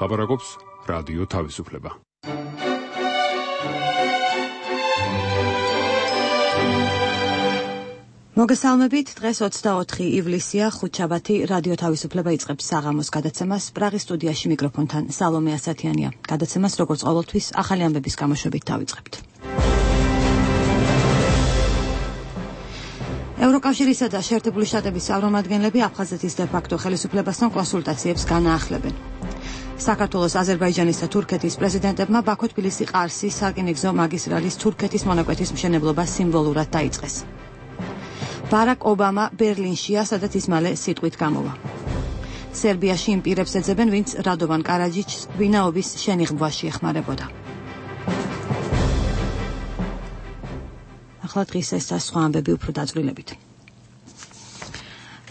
ლაპარაკობს რადიო თავისუფლება. მოგესალმებით, დღეს 24 ივლისია, ხუთშაბათი, რადიო თავისუფლება იწყებს საღამოს გადაცემას. პრაღის სტუდიაში მიკროფონთან სალომე ასათიანია. გადაცემას როგორც ყოველთვის ახალი ამბების გამოშვებით დავიწყებთ. ევროკავშირისა და შეერთებული შტატების წარმომადგენლები აფხაზეთის დე-ფაქტო ხელისუფლებასთან კონსულტაციებს განაახლებენ. საქართველოს, აზერბაიჯანის და თურქეთის პრეზიდენტებმა ბაქო-თბილისი-ყარსის სარკინიგზო მაგისტრალის თურქეთის მონაკვეთის მშენებლობა სიმბოლურად დაიწყეს. ბარაკ ობამა ბერლინშია, სადაც ის მალე სიტყვით გამოვა. სერბიაში იმ პირებს ეძებენ, ვინც რადოვან კარაჯიჩს ვინაობის შენიღბვაში ეხმარებოდა. ახლა დღის ეს და სხვა ამბები უფრო დაწვრილებით.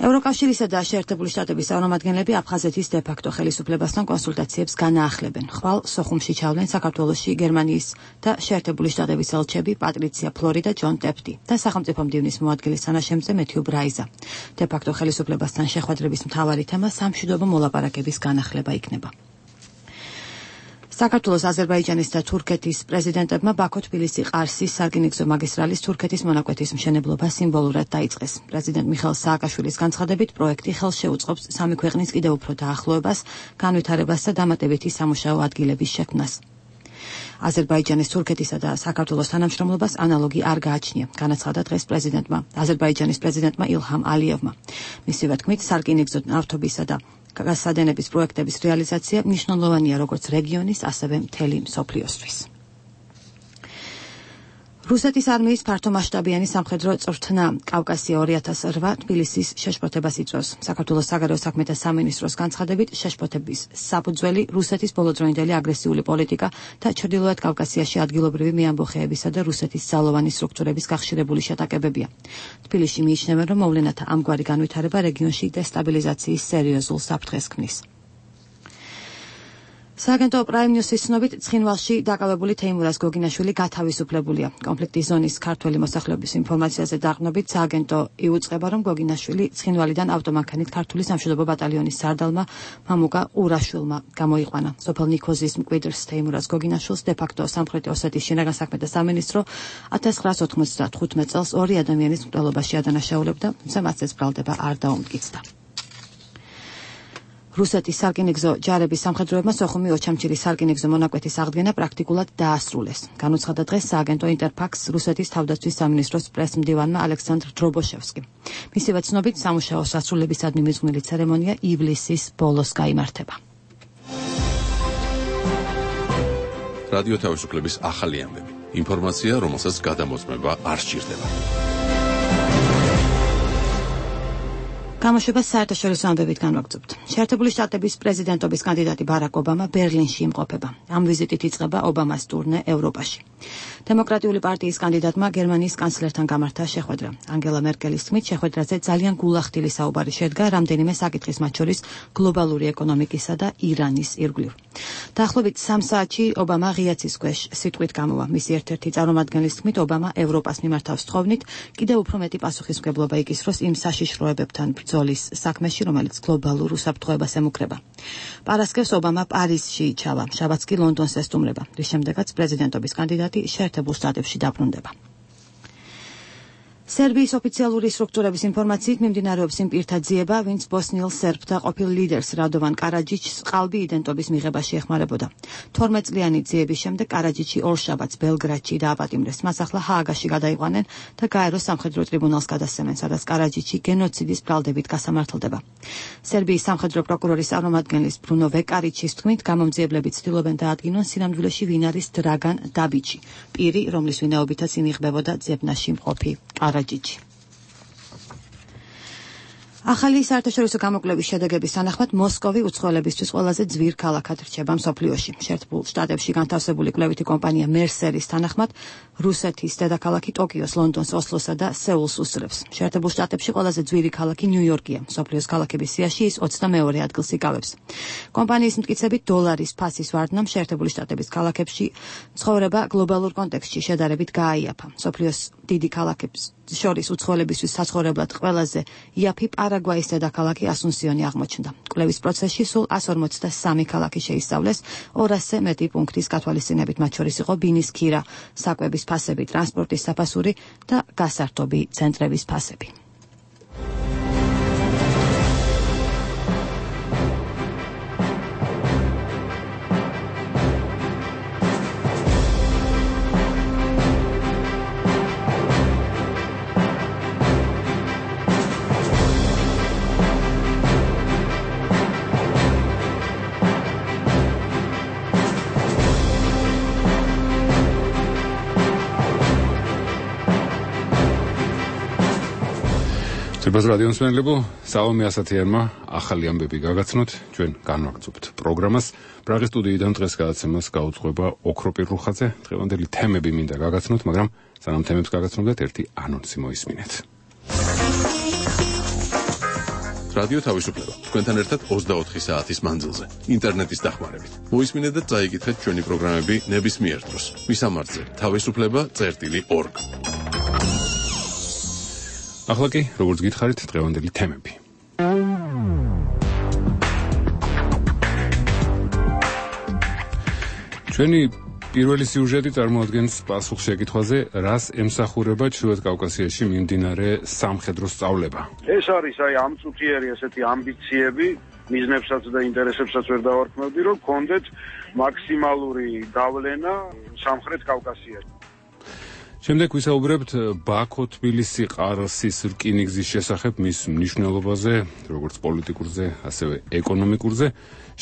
ევროკავშირისა და შეერთებული შტატების წარმომადგენლები აფხაზეთის დე-ფაქტო ხელისუფლებასთან კონსულტაციებს განაახლებენ. ხვალ სოხუმში ჩავლენ საქართველოში გერმანიის და შეერთებული შტატების ელჩები პატრიცია ფლორი და ჯონ ტეფტი და სახელმწიფო მდივნის მოადგილის თანაშემწე მეთიუ ბრაიზა. დე-ფაქტო ხელისუფლებასთან შეხვედრების მთავარი თემა სამშვიდობო მოლაპარაკების განახლება იქნება. საქართველოს, აზერბაიჯანის და თურქეთის პრეზიდენტებმა ბაქო-თბილისი-ყარსის სარკინიგზო მაგისტრალის თურქეთის მონაკვეთის მშენებლობა სიმბოლურად დაიწყეს. პრეზიდენტ მიხეილ სააკაშვილის განცხადებით, პროექტი ხელს შეუწყობს სამი ქვეყნის კიდევ უფრო დაახლოებას, განვითარებას და დამატებითი სამუშაო ადგილების შექმნას. აზერბაიჯანის, თურქეთისა და საქართველოს თანამშრომლობას ანალოგი არ გააჩნია, განაცხადა დღეს პრეზიდენტმა, აზერბაიჯანის პრეზიდენტმა ილჰამ ალიევმა. მისივე თქმით, სარკინიგზო ნავთობისა და გაზსადენების პროექტების რეალიზაცია მნიშვნელოვანია როგორც რეგიონის, ასევე მთელი მსოფლიოსთვის. რუსეთის არმიის ფართომასშტაბიანი სამხედრო წვრთნა კავკასია 2008 თბილისის შეშფოთებას იწვევს. საქართველოს საგარეო საქმეთა სამინისტროს განცხადებით, შეშფოთების საფუძველი რუსეთის ბოლოდროინდელი აგრესიული პოლიტიკა და ჩრდილოეთ კავკასიაში ადგილობრივი მეამბოხეებისა და რუსეთის ძალოვანი სტრუქტურების გახშირებული შეტაკებებია. თბილისში მიიჩნევენ, რომ მოვლენათა ამგვარი განვითარება რეგიონში დესტაბილიზაციის სერიოზულ საფრთხეს ქმნის. სააგენტო პრაიმ ნიუსის ცნობით, ცხინვალში დაკავებული თეიმურაზ გოგინაშვილი გათავისუფლებულია. კონფლიქტის ზონის ქართველი მოსახლეობის ინფორმაციაზე დაყრდნობით, სააგენტო იუწყება, რომ გოგინაშვილი ცხინვალიდან ავტომანქანით ქართული სამშვიდობო ბატალიონის სარდალმა მამუკა ყურაშვილმა გამოიყვანა. სოფელ ნიქოზის მკვიდრს თეიმურაზ გოგინაშვილს დე-ფაქტო სამხრეთი ოსეთის შინაგან საქმეთა სამინისტრო 1995 წელს ორი ადამიანის მკვლელობაში ადანაშაულებდა, თუმცა მას ეს ბრალდება არ დაუმტკიცდა. რუსეთის სარკინიგზო ჯარების სამხედროებმა სოხუმი ოჩამჩირის სარკინიგზო მონაკვეთის აღდგენა პრაქტიკულად დაასრულეს. განუცხადა დღეს სააგენტო ინტერფაქს რუსეთის თავდაცვის სამინისტროს პრესმდივანმა ალექსანდრ დრობოშევსკიმ. მისივე ცნობით, სამუშაო სასრულებისადმი მიძღვნილი ცერემონია ივლისის ბოლოს გაიმართება. რადიო თავისუფლების ახალი ამბები. ინფორმაცია, რომელსაც გადამოწმება არ სჭირდება. გამოშვებას საერთაშორისო ამბებით განვაგრძობთ. შეერთებული შტატების პრეზიდენტობის კანდიდატი ბარაკ ობამა ბერლინში იმყოფება. ამ ვიზიტით იწყება ობამას ტურნე ევროპაში. დემოკრატიული პარტიის კანდიდატმა გერმანიის კანცლერთან გამართა შეხვედრა. ანგელა მერკელის თქმით, შეხვედრაზე ძალიან გულახდილი საუბარი შედგა რამდენიმე საკითხის, მათ შორის გლობალური ეკონომიკისა და ირანის ირგვლივ. დაახლოებით 3 საათში ობამა ღია ცის ქვეშ სიტყვით გამოვა. მისი ერთ-ერთი წარმომადგენლის თქმით, ობამა ევროპას მიმართავს თხოვნით, კიდევ უფრო მეტი პასუხისმგებლობა იკისროს იმ საშიშროებებთან ბრძოლის საქმეში, რომელიც გლობალურ უსაფრთხოებას ემუქრება. პარასკევს ობამა პარიზში ჩავა, შაბათს კი ლონდონს ესტუმრება, რის შემდეგაც პრეზიდენტობის კანდიდატი შეერთებულ შტატებში დაბრუნდება. სერბიის ოფიციალური სტრუქტურების ინფორმაციით მიმდინარეობს იმ პირთა ძიება, ვინც ბოსნიელ სერბთა ყოფილ ლიდერს რადოვან კარაჯიჩს ყალბი იდენტობის მიღებაში ეხმარებოდა. 12 წლიანი ძიების შემდეგ კარაჯიჩი ორშაბათს ბელგრადში დააპატიმრეს. მას ახლა ჰააგაში გადაიყვანენ და გაეროს სამხედრო ტრიბუნალს გადასცემენ, სადაც კარაჯიჩი გენოციდის ბრალდებით გასამართლდება. სერბიის სამხედრო პროკურორის წარმომადგენლის ბრუნო ვეკარიჩის თქმით, გამომძიებლები ცდილობენ დაადგინონ სინამდვილეში ვინ არის დრაგან დაბიჩი, პირი, რომლის ვინაობითაც ინიღბებოდა ძებნაში მყოფი კარაჯიჩი. ახალი საერთაშორისო გამოკვლევის შედეგების თანახმად მოსკოვი უცხოელებისთვის ყველაზე ძვირ ქალაქად რჩება მსოფლიოში. შეერთებულ შტატებში განთავსებული კვლევითი კომპანია მერსერის თანახმად რუსეთის დედაქალაქი ტოკიოს, ლონდონს, ოსლოსა და სეულს უსწრებს. შეერთებულ შტატებში ყველაზე ძვირი ქალაქი ნიუ-იორკია. მსოფლიოს ქალაქების სიაში ის 22 ადგილს იკავებს. კომპანიის მტკიცებით დოლარის ფასის ვარდნამ შეერთებული შტატების ქალაქებში ცხოვრება გლობალურ კონტექსტში შედარებით გააიაფა. მსოფლიოს დიდი ქალაქებს შორის უცხოელებისთვის საცხოვრებლად ყველაზე იაფი პარა პარაგვაის დედაქალაქი ასუნსიონი აღმოჩნდა. კვლევის პროცესში სულ 143 ქალაქი შეისწავლეს, 200-ზე მეტი პუნქტის გათვალისწინებით, მათ შორის იყო ბინის ქირა, საკვების ფასები, ტრანსპორტის საფასური და გასართობი ცენტრების ფასები.Ებას რადიოს მენლებო, სალომე ასათიანმა ახალი ამბები გაგაცნოთ, ჩვენ განვაგრძობთ პროგრამას. პრაღის სტუდიიდან დღეს გადაცემას გაუძღვება ოქროპირ რუხაძე. დღევანდელი თემები მინდა გაგაცნოთ, მაგრამ სანამ თემებს გაგაცნობთ, ერთი ანონსი მოისმინეთ. რადიო თავისუფლება თქვენთან ერთად 24 საათის მანძილზე, ინტერნეტის დახმარებით. მოისმინეთ და წაიკითხეთ ჩვენი პროგრამები ნებისმიერ დროს. მისამართზე თავისუფლება.org. ახლა კი, როგორც გითხარით, დღევანდელი თემები. ჩვენი პირველი სიუჟეტი წარმოადგენს პასუხს შეკითხვაზე, რას ემსახურება ჩრდილოეთ კავკასიაში მიმდინარე სამხედრო სწავლება. ეს არის ამ წუთიერი ესეთი ამბიციები, მიზნებსაც და ინტერესებსაც ვერ დავარქმევდი, რომ გქონდეთ მაქსიმალური გავლენა სამხრეთ კავკასიაში. შემდეგ ვისაუბრებთ ბაქო-თბილისი-ყარსის რკინიგზის შესახებ, მის მნიშვნელობაზე, როგორც პოლიტიკურზე, ასევე ეკონომიკურზე.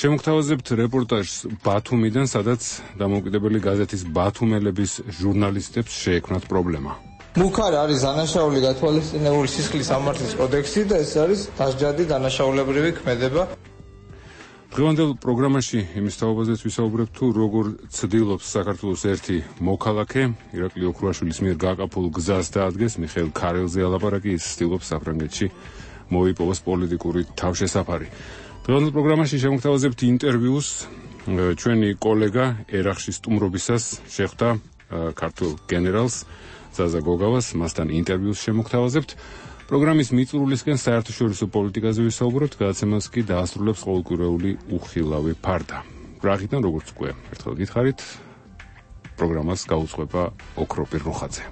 შემოგთავაზებთ რეპორტაჟს ბათუმიდან, სადაც დამოუკიდებელი გაზეთის ბათუმელების ჟურნალისტებს შეექმნათ პრობლემა. მუქარ არის დანაშაული გათვალისწინებული სისხლის სამართლის კოდექსი და ეს არის დასჯადი დანაშაულებრივი ქმედება. დღევანდელ პროგრამაში იმის თაობაზეც ვისაუბრებთ, თუ როგორ ცდილობს საქართველოს ერთი მოქალაქე, ირაკლი ოქრუაშვილის მიერ გაკაფულ გზას დაადგეს, მიხეილ ქარელზე ალაპარაკი, ის ცდილობს საფრანგეთში მოიპოვოს პოლიტიკური თავშესაფარი. დღევანდელ პროგრამაში შემოგთავაზებთ ინტერვიუს, ჩვენი კოლეგა ერახში სტუმრობისას შეხვდა ქართულ გენერალს ზაზა გოგავას, მასთან ინტერვიუს შემოგთავაზებთ. პროგრამის მიწურულისკენ საერთაშორისო პოლიტიკაზე ვისაუბრებთ, გადაცემას კი დაასრულებს ყოველკვირეული უხილავი ფარდა. პრაღიდან, როგორც უკვე ერთხელ გითხარით, პროგრამას გაუძღვება ოქროპირ რუხაძე.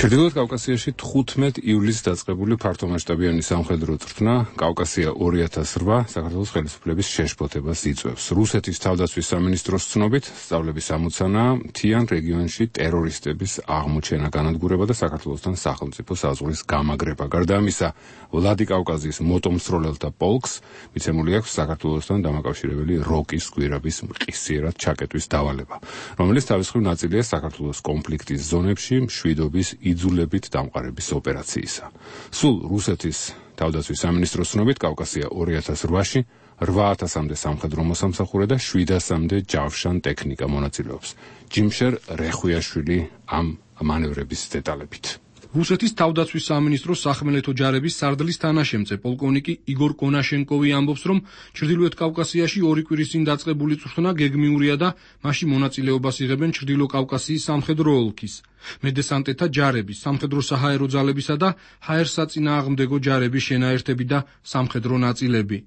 ჩრდილოეთ კავკასიაში 15 ივლისს დაწყებული ფართომასშტაბიანი სამხედრო წვრთნა კავკასია 2008 საქართველოს ხელისუფლების შეშფოთებას იწვევს. რუსეთის თავდაცვის სამინისტროს ცნობით, სწავლების ამოცანაა მთიან რეგიონში ტერორისტების აღმოჩენა, განადგურება და საქართველოსთან სახელმწიფო საზღვრის გამაგრება. გარდა ამისა, ვლადიკავკაზის მოტომსროლელთა პოლკს მიცემული აქვს საქართველოსთან დამაკავშირებელი როკის გვირაბის მყისიერად ჩაკეტვის დავალება, რომელიც თავისუფლ ნაწილია საქართველოს კონფლიქტის ზონებში მშვიდობის იძულებით დამყარების ოპერაციისა. სულ რუსეთის თავდაცვის სამინისტროს ცნობით კავკასია 2008-ში 8000-მდე სამხედრო მოსამსახურე და 700-მდე ჯავშან ტექნიკა მონაწილეობს. ჯიმშერ რეხვიაშვილი ამ მანევრების დეტალებით. რუსეთის თავდაცვის სამინისტროს სახმელეთო ჯარების სარდლის თანაშემწე პოლკოვნიკი იგორ კონაშენკოვი ამბობს, რომ ჩრდილოეთ კავკასიაში 2 კვირის წინ დაწყებული წვრთნა გეგმიურია და მასში მონაწილეობას იღებენ ჩრდილო კავკასიის სამხედრო ოლქის, მედესანტეთა ჯარების, სამხედრო საჰაერო ძალებისა და ჰაერსაწინააღმდეგო ჯარების შენაერთები და სამხედრო ნაწილები.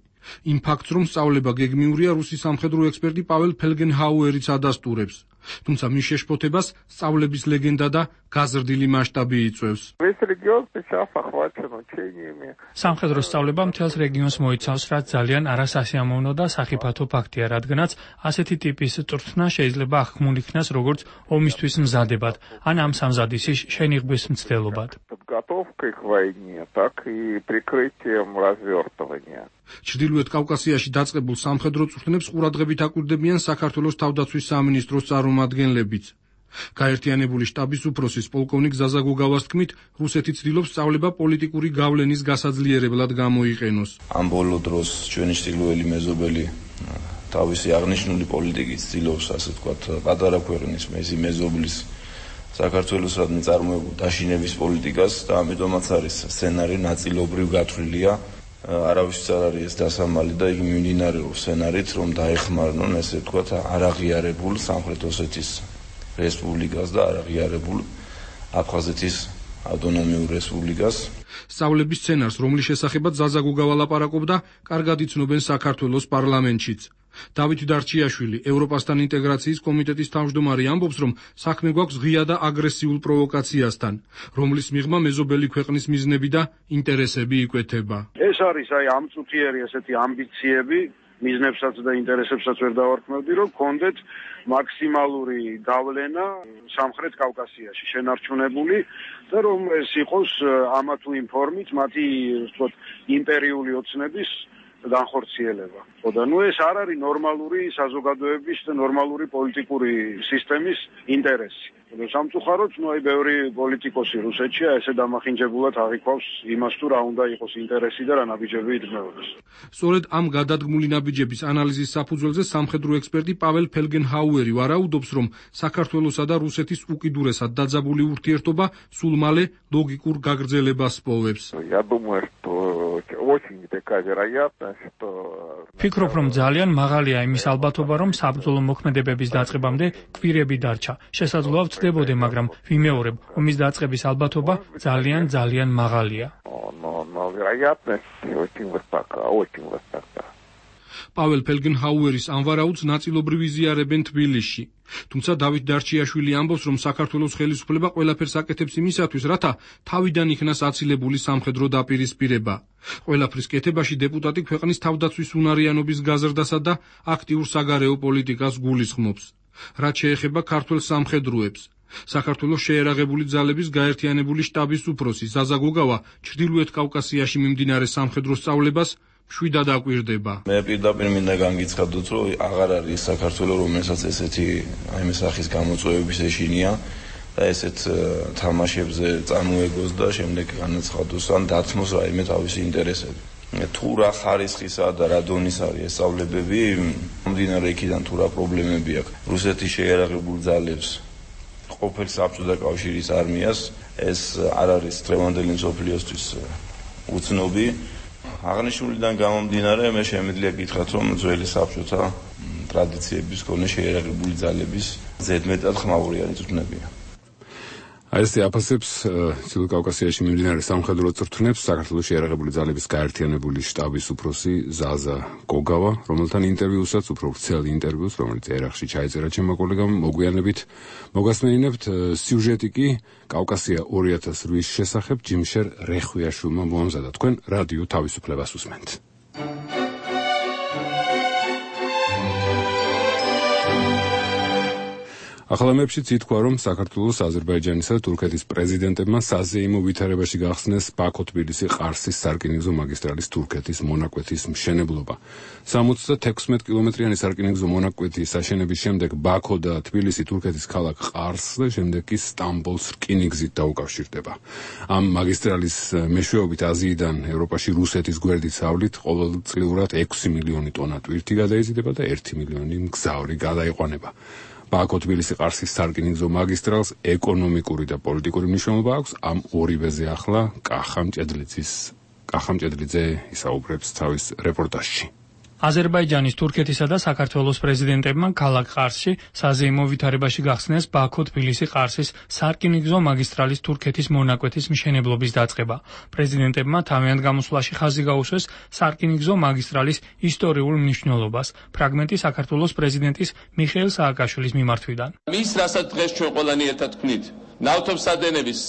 იმ ფაქტს, რომ სწავლება გეგმიურია, რუსი სამხედრო ექსპერტი პაվել ფელგენჰაუერიც ადასტურებს. თუმცა მის შეშფოთებას სწავლების ლეგენდა და გაზრდილი მასშტაბი იწვევს. სამხედრო სწავლება მთელს რეგიონს მოიცავს, რაც ძალიან არასასიამოვნო და სახიფათო ფაქტია, რადგანაც ასეთი ტიპის წვრთნა შეიძლება აღქმულ იქნას როგორც ომისთვის მზადებად, ან ამ სამზადისის შენიღბვის მცდელობად. ჩრდილოეთ კავკასიაში დაწყებულ სამხედრო წვრთნებს ყურადღებით აკვირდებიან საქართველოს თავდაცვის სამინისტროს წარმომადგენლებიც. გაერთიანებული შტაბის უფროსის პოლკოვნიკ ზაზა გოგავას თქმით, რუსეთი ცდილობს სწავლება პოლიტიკური გავლენის გასაძლიერებლად გამოიყენოს. ამ ბოლო დროს ჩვენი ჩრდილოელი მეზობელი თავისი აღნიშნული პოლიტიკით ცდილობს, ასე ვთქვათ, პატარა ქვეყნის მეზობლის საქართველოსადმი წარმოებულ დაშინების პოლიტიკას და ამიტომაც არის სცენარი ნაწილობრივ გათვლილია. არავის არ არის ეს დასამალი და იგი მიმდინარეობს სცენარით, რომ დაეხმარნონ, ესე ვთქვათ, არაღიარებულ სამხრეთ ოსეთის რესპუბლიკას და არაღიარებულ აფხაზეთის ავტონომიურ რესპუბლიკას. სწავლების სცენარს, რომლის შესახებაც ზაზა გოგავა ლაპარაკობდა, კარგად იცნობენ საქართველოს პარლამენტშიც. დავით დარჩიაშვილი, ევროპასთან ინტეგრაციის კომიტეტის თავმჯდომარე, ამბობს, რომ საქმე გვაქვს ღია და აგრესიულ პროვოკაციასთან, რომლის მიღმა მეზობელი ქვეყნის მიზნები და ინტერესები იკვეთება. ეს არის ამწუთიერი ესეთი ამბიციები, მიზნებსაც და ინტერესებსაც ვერ დავარქმევდი, რომ გქონდეთ მაქსიმალური გავლენა სამხრეთ კავკასიაში შენარჩუნებული და რომ ეს იყოს ამა თუ იმ ფორმით მათი, ვთქვათ, იმპერიული ოცნების განხორციელება. და ეს არ არის ნორმალური საზოგადოების და ნორმალური პოლიტიკური სისტემის ინტერესი. სამწუხაროდ, ბევრი პოლიტიკოსი რუსეთშია ესე დამახინჯებულად აღიქვავს იმას, თუ რა უნდა იყოს ინტერესი და რა ნაბიჯები იდგმებოდეს. სწორედ ამ გადადგმული ნაბიჯების ანალიზის საფუძველზე სამხედრო ექსპერტი პაվել ფელგენჰაუერი ვარაუდობს, რომ საქართველოსა და რუსეთის უკიდურესად დაძაბული ურთიერთობა სულ მალე ლოგიკურ გაგრძელებას პოვებს. ფიქრობ, რომ ძალიან მაღალია იმის ალბათობა, რომ საბრძოლო მოქმედებების დაწყებამდე კვირები დარჩა. შესაძლოა ვწდებოდე, მაგრამ ვიმეორებ, ომის დაწყების ალბათობა ძალიან მაღალია. პაվել ფელგენჰაუერის ამ ვარაუდს ნაწილობრივ იზიარებენ თბილისში. თუმცა დავით დარჩიაშვილი ამბობს, რომ საქართველოს ხელისუფლება ყველაფერს აკეთებს იმისათვის, რათა თავიდან იქნას აცილებული სამხედრო დაპირისპირება. ყველაფრის კეთებაში დეპუტატი ქვეყნის თავდაცვის უნარიანობის გაზრდასა და აქტიურ საგარეო პოლიტიკას გულისხმობს. რაც შეეხება ქართველ სამხედროებს, საქართველოს შეერაღებული ძალების გაერთიანებული შტაბის უფროსი ზაზა გოგავა ჩრდილოეთ კავკასიაში მიმდინარე სამხედრო სწავლებას მშვიდად აკვირდება. მე პირდაპირ მინდა განგიცხადოთ, რომ აღარ არის საქართველოს, რომელსაც ესეთი სახის გამოწვევების ეშინია და ესეთ თამაშებზე წამოეგოს და შემდეგ განაცხადოს ან დათმოს რაიმე თავისი ინტერესები. თუ რა ხარისხისა და რა დონის არის ეს სწავლებები, მომდინარე იქიდან თუ რა პრობლემები აქვს რუსეთის შეიარაღებულ ძალებს, ყოფილ საბჭოთა კავშირის არმიას, ეს არ არის დღევანდელი მსოფლიოსთვის უცნობი. აღნიშნულიდან გამომდინარე, მე შემიძლია გითხრათ, რომ ძველი საბჭოთა ტრადიციების მქონე შეიარაღებული ძალების ზედმეტად ხმაურიანი წვრთნებია. ესე აფასებს ჩრდილო კავკასიაში მიმდინარე სამხედრო წვრთნებს საქართველოს შეიარაღებული ძალების გაერთიანებული შტაბის უფროსი ზაზა გოგავა, რომელთან ინტერვიუსაც, უფრო ვრცელი ინტერვიუს, რომელიც ერახში ჩაიწერა ჩემმა კოლეგამ, მოგვიანებით მოგასმენინებთ. სიუჟეტი კი კავკასია 2008-ის შესახებ ჯიმშერ რეხვიაშვილმა მოამზადა. თქვენ რადიო თავისუფლებას უსმენთ. ახალამებშიც ითქვა, რომ საქართველოს, აზერბაიჯანისა და თურქეთის პრეზიდენტებმა საზეიმო ვითარებაში გახსნეს ბაქო-თბილისი-ყარსის სარკინიგზო მაგისტრალის თურქეთის მონაკვეთის მშენებლობა. 76 კილომეტრიანი სარკინიგზო მონაკვეთის აშენების შემდეგ ბაქო და თბილისი თურქეთის ქალაქ ყარსს და შემდეგ კი სტამბოლს რკინიგზით დაუკავშირდება. ამ მაგისტრალის მეშვეობით აზიიდან ევროპაში რუსეთის გვერდით სავლით ყოველწლიურად 6 მილიონი ტონა ტვირთი გადაიზიდება და 1 მილიონი მგზავრი გადაიყვანება. ბაქო-თბილისი-ყარსის სარკინიგზო მაგისტრალს ეკონომიკური და პოლიტიკური მნიშვნელობა აქვს. ამ ორივეზე ახლა კახამ ჭედლიძე ისაუბრებს თავის რეპორტაჟში. აზერბაიჯანის, თურქეთისა და საქართველოს პრეზიდენტებმა ქალაქ ყარსში საზეიმო ვითარებაში გახსნეს ბაქო-თბილისი-ყარსის სარკინიგზო მაგისტრალის თურქეთის მონაკვეთის მშენებლობის დაწყება. პრეზიდენტებმა თავიანთ გამოსვლაში ხაზი გაუსვეს სარკინიგზო მაგისტრალის ისტორიულ მნიშვნელობას. ფრაგმენტი საქართველოს პრეზიდენტის მიხეილ სააკაშვილის მიმართვიდან. მის რასაც დღეს ჩვენ ყველანი ერთად ვქნით, ნავთობსადენების,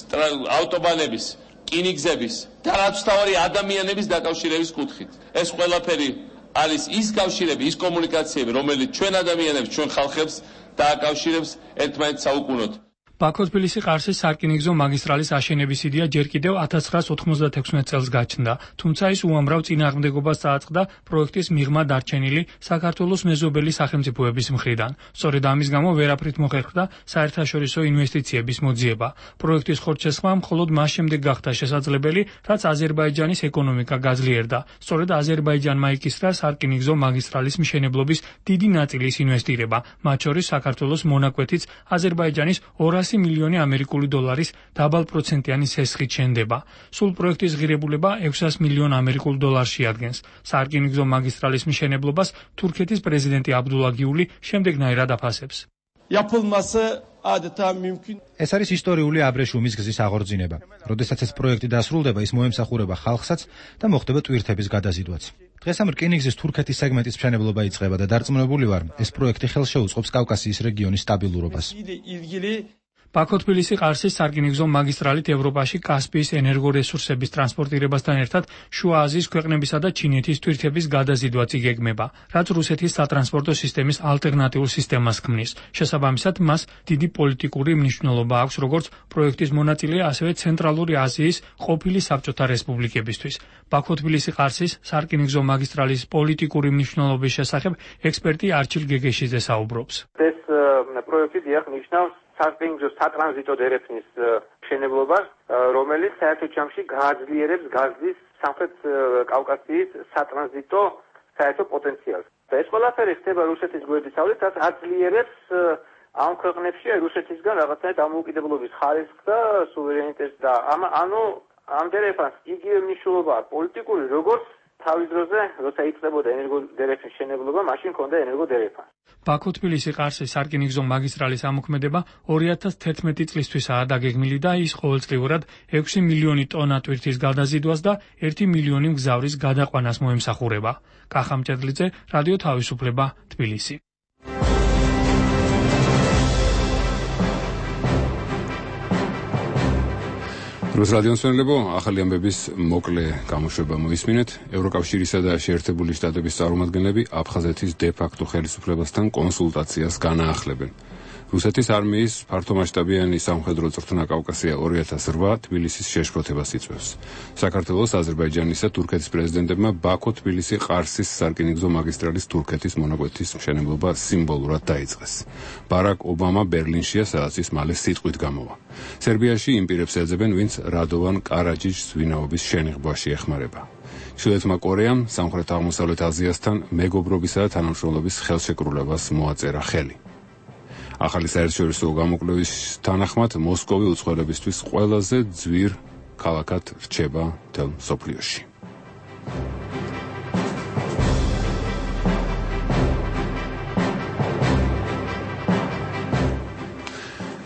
ავტობანების, რკინიგზების და რაც თავარი ადამიანების დაკავშირების კუთხით. ეს ყველაფერი არის ის კავშირები, ის კომუნიკაციები, რომელიც ჩვენ ადამიანებს, ჩვენ ხალხებს დააკავშირებს ერთმანეთს საუკუნოდ. ბაქო-თბილისი-ყარსის სარკინიგზო მაგისტრალის აშენების იდეა ჯერ კიდევ 1996 წელს გაჩნდა, თუმცა ის უამრავ წინააღმდეგობას წააწყდა პროექტის მიღმა დარჩენილი საქართველოს მეზობელი სახელმწიფოების მხრიდან. სწორედ ამის გამო ვერაფრით მოხერხდა საერთაშორისო ინვესტიციების მოძიება. პროექტის ხორცშესხმა მხოლოდ მას შემდეგ გახდა შესაძლებელი, რაც აზერბაიჯანის ეკონომიკა გაძლიერდა. სწორედ აზერბაიჯანმა იკისრა სარკინიგზო მაგისტრალის მშენებლობის დიდი ნაწილის ინვესტირება, მათ შორის საქართველოს მონაკვეთიც აზერბაიჯანის 200 მილიონი ამერიკული დოლარის დაბალპროცენტიანი სესხით შენდება. სულ პროექტის ღირებულება 600 მილიონ ამერიკულ დოლარს შეადგენს. სარკინიგზო მაგისტრალის მშენებლობას თურქეთის პრეზიდენტი აბდულა გიული შემდეგნაირად აფასებს. ეს არის ისტორიული აბრეშუმის გზის აღორძინება. როდესაც ეს პროექტი დასრულდება, ის მოემსახურება ხალხსაც და მოხდება ტვირთების გადაზიდვაც. დღეს ამ რკინიგზის თურქეთის სეგმენტის მშენებლობა იწყება და დარწმუნებული ვარ, ეს პროექტი ხელშეუწყობს კავკასიის რეგიონის სტაბილურობას. ბაქო-თბილისი-ყარსის სარკინიგზო მაგისტრალით ევროპაში კასპიის ენერგორესურსების ტრანსპორტირებასთან ერთად შუა აზიის ქვეყნებისა და ჩინეთის თვირთების გადაზიდვაც იგეგმება, რაც რუსეთის სატრანსპორტო სისტემის ალტერნატიულ სისტემას ქმნის. შესაბამისად, მას დიდი პოლიტიკური მნიშვნელობა აქვს როგორც პროექტის მონაწილე, ასევე ცენტრალური აზიის ყოფილი საბჭოთა რესპუბლიკებისთვის. ბაქო-თბილისი-ყარსის სარკინიგზო მაგისტრალის პოლიტიკური მნიშვნელობის შესახებ ექსპერტი არჩილ გეგეშიძე საუბრობს. ეს პროექტი ნიშნავს სარკინიგზო სატრანზიტო დერეფნის მშენებლობას, რომელიც საერთო ჯამში გააძლიერებს გაზის სამხრეთ კავკასიის სატრანზიტო საერთო პოტენციალს. და ეს ყველაფერი ხდება რუსეთის გვერდისავლით, რაც აძლიერებს ამ ქვეყნებში რუსეთისგან რაღაცნაირად დამოუკიდებლობის ხარისხს და სუვერენიტეტს და ამ დერეფანს იგივე მნიშვნელობა აქვს პოლიტიკური, როგორც თავის დროზე, როცა იწყებოდა ენერგოდერეფნის მშენებლობა, მაშინ ჰქონდა ენერგოდერეფანი. ბაქო-თბილისი-ყარსის სარკინიგზო მაგისტრალის ამოქმედება 2011 წლისთვისაა დაგეგმილი და ის ყოველწლიურად 6 მილიონი ტონა ტვირთის გადაზიდვას და 1 მილიონი მგზავრის გადაყვანას მოემსახურება. კახა მჭედლიძე, რადიო თავისუფლება, თბილისი. რუს რადიოსმენლებო, ახალი ამბების მოკლე გამოშვება მოისმინეთ. ევროკავშირისა და შეერთებული შტატების წარმომადგენლები აფხაზეთის დე-ფაქტო ხელისუფლებასთან კონსულტაციას განაახლებენ. რუსეთის არმიის ფართომასშტაბიანი სამხედრო წვრთნა კავკასია 2008 თბილისის შეშფოთებას იწვევს. საქართველოს, აზერბაიჯანისა და თურქეთის პრეზიდენტებმა ბაქო-თბილისი-ყარსის სარკინიგზო მაგისტრალის თურქეთის მონაკვეთის მშენებლობა სიმბოლურად დაიწყეს. ბარაკ ობამა ბერლინშია, სადაც ის მალე სიტყვით გამოვა. სერბიაში იმ პირებს ეძებენ, ვინც რადოვან კარაჯიჯს ვინაობის შენიღბაში ეხმარება. ჩრდილოეთმა კორეამ სამხრეთ აღმოსავლეთ აზიასთან მეგობრობისა და თანამშრომლობის ხელშეკრულებას მოაწერა ხელი. ახალი საერთაშორისო გამოკვლევის თანახმად მოსკოვი უცხოელებისთვის ყველაზე ძვირ ქალაქად რჩება მთელ მსოფლიოში.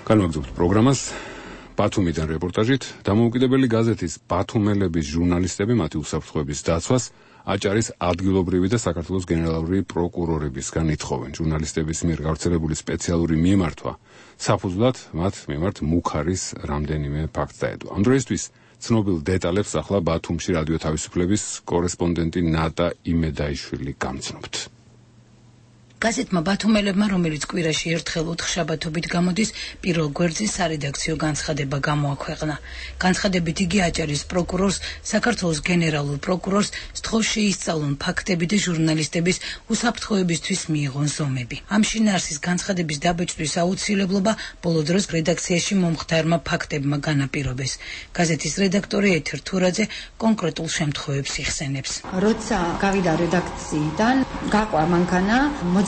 განვაგრძობთ პროგრამას ბათუმიდან რეპორტაჟით. დამოუკიდებელი გაზეთის ბათუმელების ჟურნალისტები მათი უსაფრთხოების დაცვას აჭარის ადგილობრივი და საქართველოს გენერალური პროკურორებისგან ითხოვენ. ჟურნალისტების მიერ გავრცელებული სპეციალური მიმართვა საფუძვლად მათ მიმართ მუქარის რამდენიმე ფაქტს დაედო. ამ დროისთვის ცნობილ დეტალებს ახლა ბათუმში რადიო თავისუფლების კორესპონდენტი ნატა იმედაიშვილი გამცნობთ. გაზეთმა ბათუმელებმა, რომელიც კვირაში ერთხელ ოთხშაბათობით გამოდის, პირველ გვერდზე სარედაქციო განცხადება გამოაქვეყნა. განცხადებით იგი აჭარის პროკურორს, საქართველოს გენერალურ პროკურორს სთხოვს შეისწავლონ ფაქტები და ჟურნალისტების უსაფრთხოებისთვის მიიღონ ზომები. ამ შინაარსის განცხადების დაბეჭდვის აუცილებლობა ბოლო დროს რედაქციაში მომხდარმა ფაქტებმა განაპირობეს. გაზეთის რედაქტორი ეთერ თურაძე კონკრეტულ შემთხვევებს იხსენებს. როცა გავიდა რედაქციიდან, გაყვა მანქანა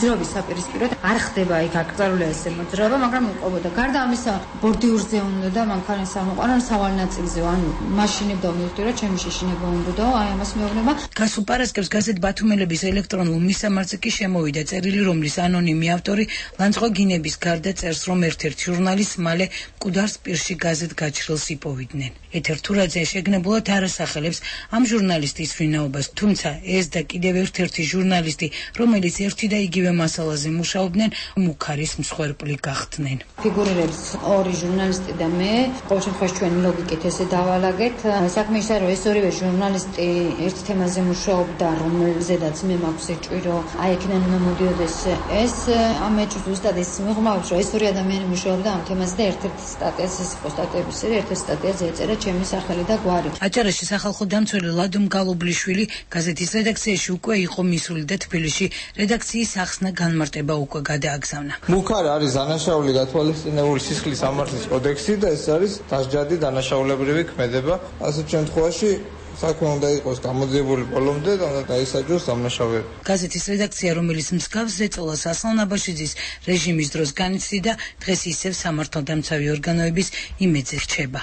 მოძრაობის საპირისპიროდ არ ხდება იქ აკრძალულია ესე მოძრაობა, მაგრამ უყობოდა. გარდა ამისა, ბორდიურზე უნდა და მანქანის ამოყვანა სავალ ნაწილზე, ანუ მაშინებდა მივხვდი, რომ ჩემი შეშინება უნდაო, აი ამას მეუბნება. გასულ პარასკევს გაზეთ ბათუმელების ელექტრონულ მისამართზე კი შემოვიდა წერილი, რომლის ანონიმი ავტორი ლანძღვა გინების გარდა წერს, რომ ერთ-ერთ ჟურნალისტს მალე მკვდარს პირში გაზეთ გაჩრილს იპოვიდნენ. ეთერ თურაძე შეგნებულად არ ასახელებს ამ ჟურნალისტის ვინაობას, თუმცა ეს და კიდევ ერთ-ერთი ჟურნალისტი, რომელიც ერთი და იგივე მასალაზე მუშაობდნენ, მუქარის მსხვერპლი გახდნენ. ფიგურირებს ორი ჟურნალისტი და მე, ყოველ შემთხვევაში ჩვენი ლოგიკით ესე დავალაგეთ. საქმე ისაა, რომ ეს ორივე ჟურნალისტი ერთ თემაზე მუშაობდა, რომელზედაც მე მაქვს ეჭვი, რომ აი იქიდან უნდა მოდიოდეს ეს. ამ ეჭვს ზუსტად ის მიღმავს, რომ ეს ორი ადამიანი მუშაობდა ამ თემაზე და ერთ-ერთი სტატიას, ეს იყო სტატიების სერია, ერთ-ერთი სტატიაზე ეწერა ჩემი სახელი და გვარი. აჭარაში სახალხო დამცველი ლადო მგალობლიშვილი გაზეთის რედაქციაში უკვე იყო მისული და თბილისში რედაქციის ახსნა განმარტება უკვე გადააგზავნა. მუქარ არის დანაშაული გათვალისწინებული სისხლის სამართლის კოდექსი და ეს არის დასჯადი დანაშაულებრივი ქმედება. ასეთ შემთხვევაში საქმე უნდა იყოს გამოძიებული ბოლომდე და უნდა დაისაჯოს დამნაშავეები. გაზეთის რედაქცია, რომელიც მსგავს ზეწოლას ასლან აბაშიძის რეჟიმის დროს განიცდიდა, დღეს ისევ სამართალდამცავი ორგანოების იმედზე რჩება.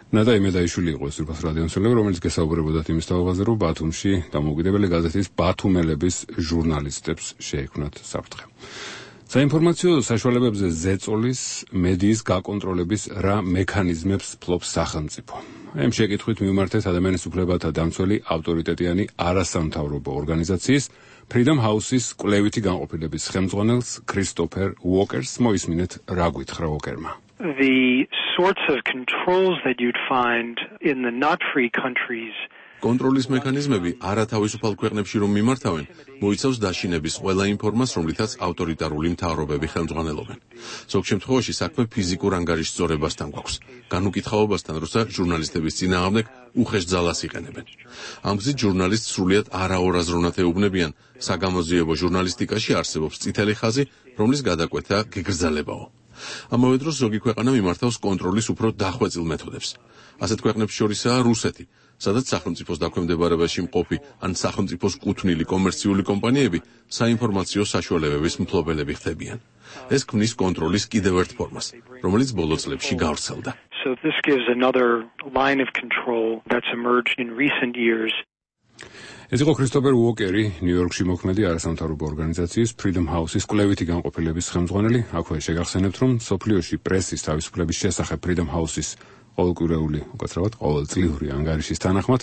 ნადა იმედაიშვილი იყო ეს რუსეთის რადიომცემელი, რომელიც გესაუბრებოდათ იმის თაობაზე, რომ ბათუმში დამოუკიდებელი გაზეთის ბათუმელების ჟურნალისტებს შეექმნათ საფრთხე. საინფორმაციო საშუალებებზე ზეწოლის მედიის გაკონტროლების რა მექანიზმებს ფლობს სახელმწიფო. ამ შეკითხვით მიმართეთ ადამიანის უფლებათა დამცველი ავტორიტეტიანი არასამთავრობო ორგანიზაციის Freedom House-ის კვლევითი განყოფილების ხელმძღვანელს Christopher Walker-ს მოისმინეთ რა გითხრა Walker-მა. The sorts of controls that you'd find in the not free countries კონტროლის მექანიზმები არათავისუფალ ქვეყნებში რომ მიმართავენ, მოიცავს დაშინების ყველა იმ ფორმას, რომლითაც ავტორიტარული მთავრობები ხელმძღვანელობენ. ზოგ შემთხვევაში საქმე ფიზიკურ ანგარიშის სწორებასთან გვაქვს, განუკითხაობასთან, როცა ჟურნალისტების წინააღმდეგ უხეშ ძალას იყენებენ. ამ გზით ჟურნალისტს სრულიად არაორაზროვნად ეუბნებიან, საგამოძიებო ჟურნალისტიკაში არსებობს წითელი ხაზი, რომლის გადაკვეთა გეგრძელებაო. ამავე დროს ზოგი ქვეყანა მიმართავს კონტროლის უფრო დახვეწილ მეთოდებს. ასეთ ქვეყნებს შორისაა რუსეთი, სადაც სახელმწიფოს დაქვემდებარებაში მყოფი ან სახელმწიფოს კუთვნილი კომერციული კომპანიები საინფორმაციო საშუალებების მფლობელები ხდებიან. ეს ქმნის კონტროლის კიდევ ერთ ფორმას, რომელიც ბოლო წლებში გავრცელდა. So this gives another line of control that's emerged in recent years. ეს იყო Christopher Walker-ი, ნიუ-იორკში მოქმედი არასამთავრობო ორგანიზაციის Freedom House-ის კვლევითი განყოფილების ხელმძღვანელი. აქვე შეგახსენებთ, რომ სოფლიოში პრესის თავისუფლების შესახებ Freedom House-ის ყოველკვირეული, უკაცრავად ყოველწლიური ანგარიშის თანახმად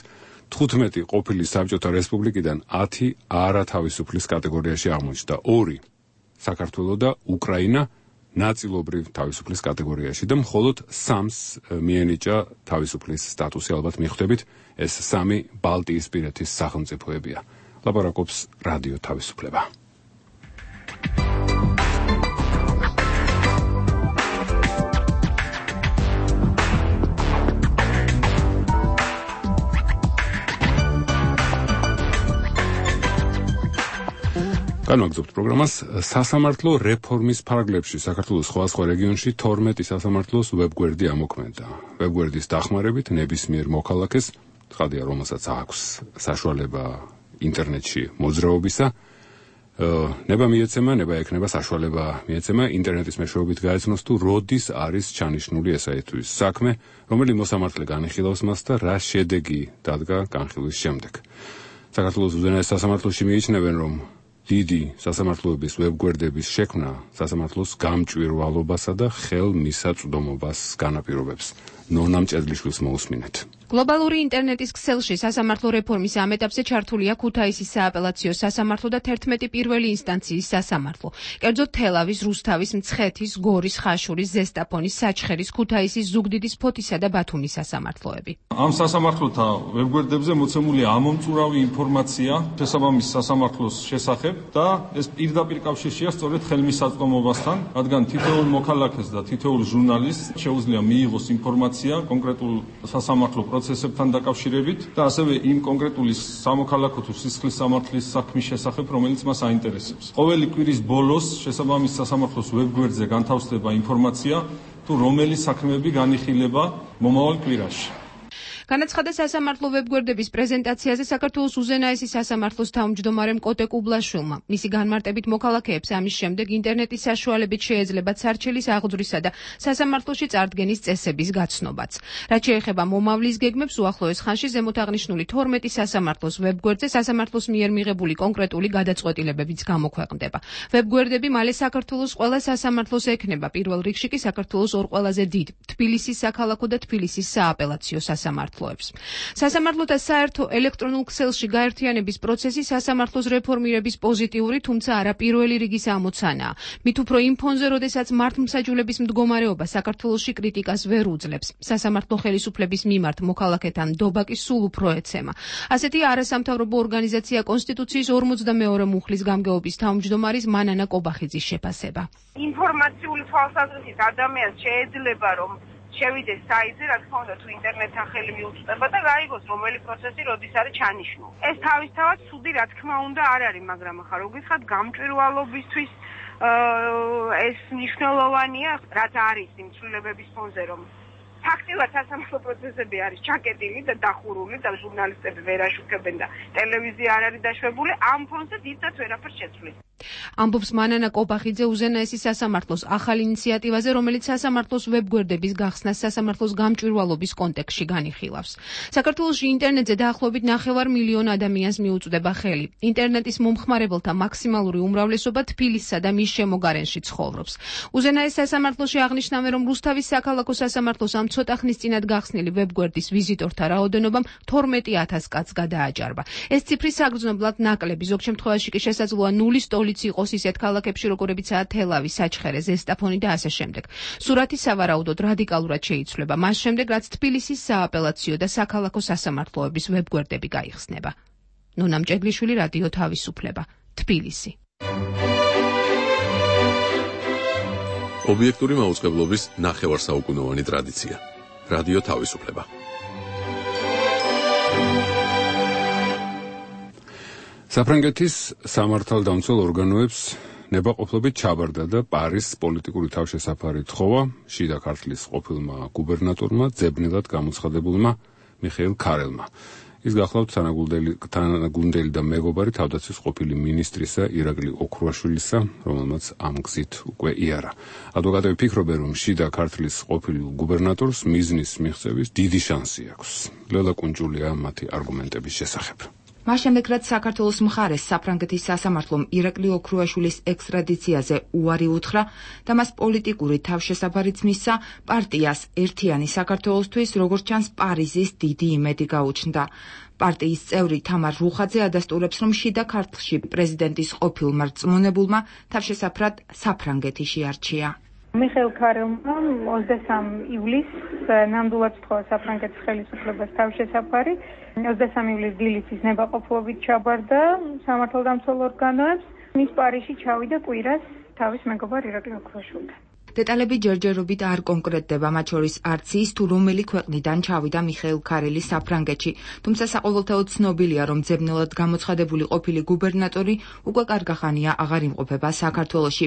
15 ყოფილი საბჭოთა რესპუბლიკიდან 10 არათავისუფლის კატეგორიაში აღმოჩნდა, 2 საქართველო და უკრაინა ნაწილობრივ თავისუფლის კატეგორიაში და მხოლოდ 3-ს მიენიჭა თავისუფლის სტატუსი, ალბათ მიხვდებით, ეს 3 ბალტიისპირეთის სახელმწიფოებია. ლაპარაკობს რადიო თავისუფლება. განვაგრძობთ პროგრამას. სასამართლო რეფორმის ფარგლებში საქართველოს სხვადასხვა რეგიონში 12 სასამართლოს ვებგვერდი ამოქმედა. ვებგვერდის დახმარებით ნებისმიერ მოქალაქეს, ცხადია, რომელსაც აქვს საშუალება ინტერნეტში მოძრაობისა, ნება მიეცემა, ნება ექნება საშუალება მიეცემა ინტერნეტის მეშვეობით გაეცნოს თუ როდის არის ჩანიშნული ესათვის საქმე, რომელი მოსამართლე განიხილავს მას და რა შედეგი დადგა განხილვის შემდეგ. საქართველოს უზენაეს სასამართლოში მიიჩნევენ, რომ დიდი სასამართლოების ვებგვერდების შექმნა სასამართლოს გამჭვირვალობასა და ხელმისაწვდომობას განაპირობებს. ნონა მჭედლიშვილს მოусმინეთ. გლობალური ინტერნეტის ქსელში სასამართლო რეფორმის ამ ეტაპზე ჩართულია ქუთაისის სააპელაციო სასამართლო და 11 პირველი ინსტანციის სასამართლო. კერძოდ თელავის, რუსთავის, მცხეთის, გორის, ხაშურის, ზესტაფონის, საჩხერის, ქუთაისის, ზუგდიდის, ფოთისა და ბათუმის სასამართლოები. ამ სასამართლოთა ვებგვერდებზე მოცემულია ამომწურავი ინფორმაცია შესაბამის სასამართლოს შესახებ და ეს პირდაპირ კავშირშია სწორედ ხელმისაწვდომობასთან, რადგან თითოეულ მოქალაქეს და თითოეულ ჟურნალისტს შეუძლია მიიღოს ინფორმაცია კონკრეტულ სასამართლო პროცესებთან დაკავშირებით და ასევე იმ კონკრეტული სამოქალაქო თუ სისხლის სამართლის საქმის შესახებ, რომელიც მას აინტერესებს. ყოველი კვირის ბოლოს შესაბამის სასამართლოს ვებგვერდზე განთავსდება ინფორმაცია თუ რომელი საქმეები განიხილება მომავალ კვირაში. განაცხადა სასამართლო ვებგვერდების პრეზენტაციაზე საქართველოს უზენაესი სასამართლოს თავმჯდომარემ კოტე კუბლაშვილმა. მისი განმარტებით მოქალაქეებს ამის შემდეგ ინტერნეტის საშუალებით შეეძლებათ სარჩელის აღძვრისა და სასამართლოში წარდგენის წესების გაცნობაც. რაც შეეხება მომავლის გეგმებს, უახლოეს ხანში ზემოთ აღნიშნული 12 სასამართლოს ვებგვერდზე სასამართლოს მიერ მიღებული კონკრეტული გადაწყვეტილებებიც გამოქვეყნდება. ვებგვერდები მალე საქართველოს ყველა სასამართლოს ექნება, პირველ რიგში კი საქართველოს ორ ყველაზე დიდ თბილისის საქალაქო და თბილისის სააპელაციო სასამართლო. სასამართლოებს. სასამართლოთა საერთო ელექტრონულ ქსელში გაერთიანების პროცესი სასამართლოს რეფორმირების პოზიტიური, თუმცა არა პირველი რიგის ამოცანაა. მით უფრო იმ ფონზე, როდესაც მართლმსაჯულების მდგომარეობა საქართველოში კრიტიკას ვერ უძლებს. სასამართლო ხელისუფლების მიმართ მოქალაქეთა ნდობა კი სულ უფრო ეცემა. ასეთი არასამთავრობო ორგანიზაცია კონსტიტუციის 42 მუხლის გამგეობის თავმჯდომარის მანანა კობახიძის შეფასება. ინფორმაციული თვალსაზრისით ადამიანს შეიძლება რომ შევიდეს საიტზე, რა თქმა უნდა, თუ ინტერნეტთან ხელი მიუწვდება და გაიგოს რომელი პროცესი როდის არის ჩანიშნული. ეს თავისთავად ცუდი, რა თქმა უნდა, არ არის, მაგრამ ახლა რო გითხრათ გამჭვირვალობისთვის ეს მნიშვნელოვანია, რაც არის იმ ცვლილებების ფონზე, რომ ფაქტიურად სასამართლო პროცესები არის ჩაკეტილი და დახურული და ჟურნალისტები ვერ აშუქებენ და ტელევიზია არ არის დაშვებული, ამ ფონზე დიდად ვერაფერს შეცვლის. ამბობს მანანა კობახიძე უზენაესი სასამართლოს ახალ ინიციატივაზე, რომელიც სასამართლოს ვებგვერდების გახსნას სასამართლოს გამჭვირვალობის კონტექსტში განიხილავს. საქართველოში ინტერნეტზე დაახლოებით 9 მილიონი ადამიანს მიუწვდება ხელი. ინტერნეტის მომხმარებელთა მაქსიმალური უმრავლესობა თბილისსა და მის შემოგარენში ცხოვრობს. უზენაეს სასამართლოში აღნიშნავენ, რომ რუსთავის საქალაქო სასამართლოს ამ ცოტა ხნის წინათ გახსნილი ვებგვერდის ვიზიტორთა რაოდენობამ 12,000 კაცს გადააჭარბა. ეს ციფრი საგრძნობლად ნაკლები, ზოგ შემთხვევაში კი შესაძლოა ნულის ტოლიც იყოს ისეთ ქალაქებში, როგორებიცაა თელავი, საჩხერე, ზესტაფონი და ასე შემდეგ. სურათი სავარაუდოდ რადიკალურად შეიცვლება, მას შემდეგ, რაც თბილისის სააპელაციო და საქალაქო სასამართლოების ვებგვერდები გაიხსნება. ნონა მჭედლიშვილი, რადიო თავისუფლება, თბილისი. ობიექტური მაუწყებლობის ნახევარსაუკუნოვანი ტრადიცია. რადიო თავისუფლება. საფრანგეთის სამართალდამცველ ორგანოებს ნებაყოფლობით ჩაბარდა და პარის პოლიტიკური თავშესაფარი თხოვა შიდა ქართლის ყოფილმა გუბერნატორმა, ძებნელად გამოცხადებულმა მიხეილ ქარელმა. ის გახლავთ თანაგუნდელი და მეგობარი თავდაცვის ყოფილი მინისტრისა ირაკლი ოქრუაშვილისა, რომელმაც ამ გზით უკვე იარა. ადვოკატები ფიქრობენ, რომ შიდა ქართლის ყოფილ გუბერნატორს მიზნის მიღწევის დიდი შანსი აქვს. ლელა კუნჯულია მათი არგუმენტების შესახებ. მას შემდეგ, რაც საქართველოს მხარეს საფრანგეთის სასამართლომ ირაკლი ოქრუაშვილის ექსტრადიციაზე უარი უთხრა და მას პოლიტიკური თავშესაფარიც მისცა, პარტიას ერთიანი საქართველოსთვის, როგორც ჩანს, პარიზის დიდი იმედი გაუჩნდა. პარტიის წევრი თამარ რუხაძე ადასტურებს, რომ შიდა ქართლში პრეზიდენტის ყოფილმა რწმუნებულმა თავშესაფრად საფრანგეთი შეარჩია. მიხეილ ქარელმა 23 ივლისს ნამდვილად სთხოვა საფრანგეთის ხელისუფლებას თავშესაფარი. 23 ივლისს დილით ნებაყოფლობით ჩაბარდა სამართალდამცველ ორგანოებს. მის პარიზში ჩავიდა კვირას თავის მეგობარ ირაკლი ოქრუაშვილთან. დეტალები ჯერჯერობით არ კონკრეტდება, მათ შორის არც ის, თუ რომელი ქვეყნიდან ჩავიდა მიხეილ ქარელი საფრანგეთში, თუმცა საყოველთაოდ ცნობილია, რომ ძებნელად გამოცხადებული ყოფილი გუბერნატორი უკვე კარგახანია აღარ იმყოფება საქართველოში.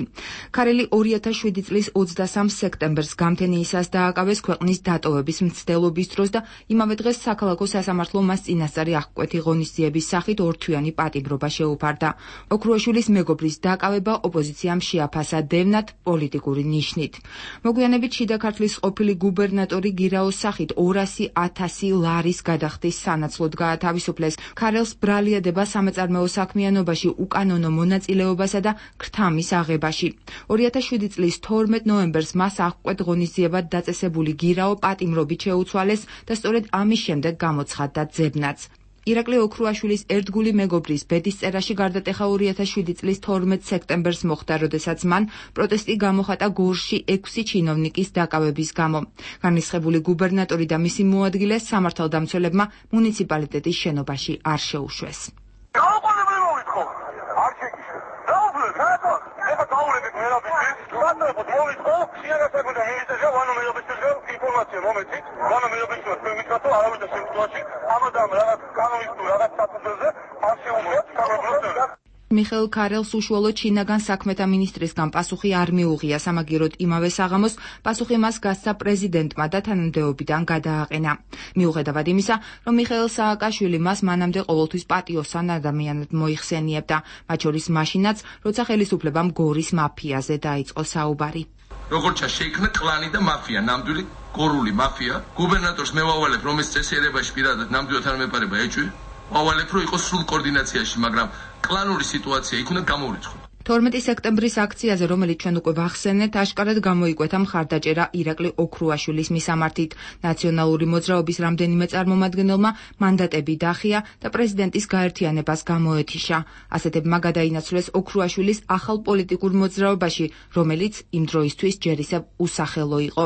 ქარელი 2007 წლის 23 სექტემბერს გამთენიისას დააკავეს ქვეყნის დატოვების მცდელობის დროს და იმავე დღეს საქალაქო სასამართლომ მას წინასწარი აღკვეთი ღონისძიების სახით ორთვიანი პატიმრობა შეუფარდა. ოქრუაშვილის მეგობრის დაკავება ოპოზიციამ შეაფასა დევნად პოლიტიკური ნიშნით. მოგვიანებით შიდა ქართლის ყოფილი გუბერნატორი გირაოს სახით 200,000 ლარის გადახდის სანაცვლოდ გაათავისუფლეს. ქარელს ბრალიადება სამეწარმეო საქმიანობაში, უკანონო მონაწილეობასა და ქრთამის აღებაში. 2007 წლის 12 ნოემბერს მას აღკვეთ ღონისძიებად დაწესებული გირაო პატიმრობით შეუცვალეს და სწორედ ამის შემდეგ გამოცხადდა ძებნაც. ირაკლი ოქრუაშვილის ერთგული მეგობრის ბედისწერაში გარდატეხა 2007 წლის 12 სექტემბერს მოხდა, როდესაც მან პროტესტი გამოხატა გორში 6 ჩინოვნიკის დაკავების გამო. განრისხებული გუბერნატორი და მისი მოადგილე სამართალდამცველებმა მუნიციპალიტეტის შენობაში არ შეუშვეს. მიხეილ ქარელს უშუალოდ ჩინაგან საქმეთა მინისტრისგან პასუხი არ მიუღია, სამაგიეროდ იმავე საღამოს პასუხი მას გასცა პრეზიდენტმა და თანამდებობიდან გადააყენა. მიუხედავად იმისა, რომ მიხეილ სააკაშვილი მას მანამდე ყოველთვის პატიოსან ადამიანად მოიხსენიებდა, მათ შორის მაშინაც, როცა ხელისუფლებამ გორის მაფიაზე დაიწყო საუბარი. როგორც შეიქმნა კლანი და მაფია, ნამდვილი გორული მაფია. გუბერნატორს მე ვავალებ, რომ ეს წესიერებაში პირადად ნამდვილად არ მეპარება ეჭვი. ვავალებ, რომ იყოს სრულ კოორდინაციაში, მაგრამ კლანური სიტუაცია იქ უნდა გამოვრიცხოთ. 12 სექტემბრის აქციაზე, რომელიც ჩვენ უკვე ვახსენეთ, აშკარად გამოიკვეთა მხარდაჭერა ირაკლი ოქრუაშვილის მისამართით. ნაციონალური მოძრაობის რამდენიმე წარმომადგენელმა მანდატები დახია და პრეზიდენტის გაერთიანებას გამოეთიშა. ასეთებმა გადაინაცვლეს ოქრუაშვილის ახალ პოლიტიკურ მოძრაობაში, რომელიც იმ დროისთვის ჯერ ისევ უსახელო იყო.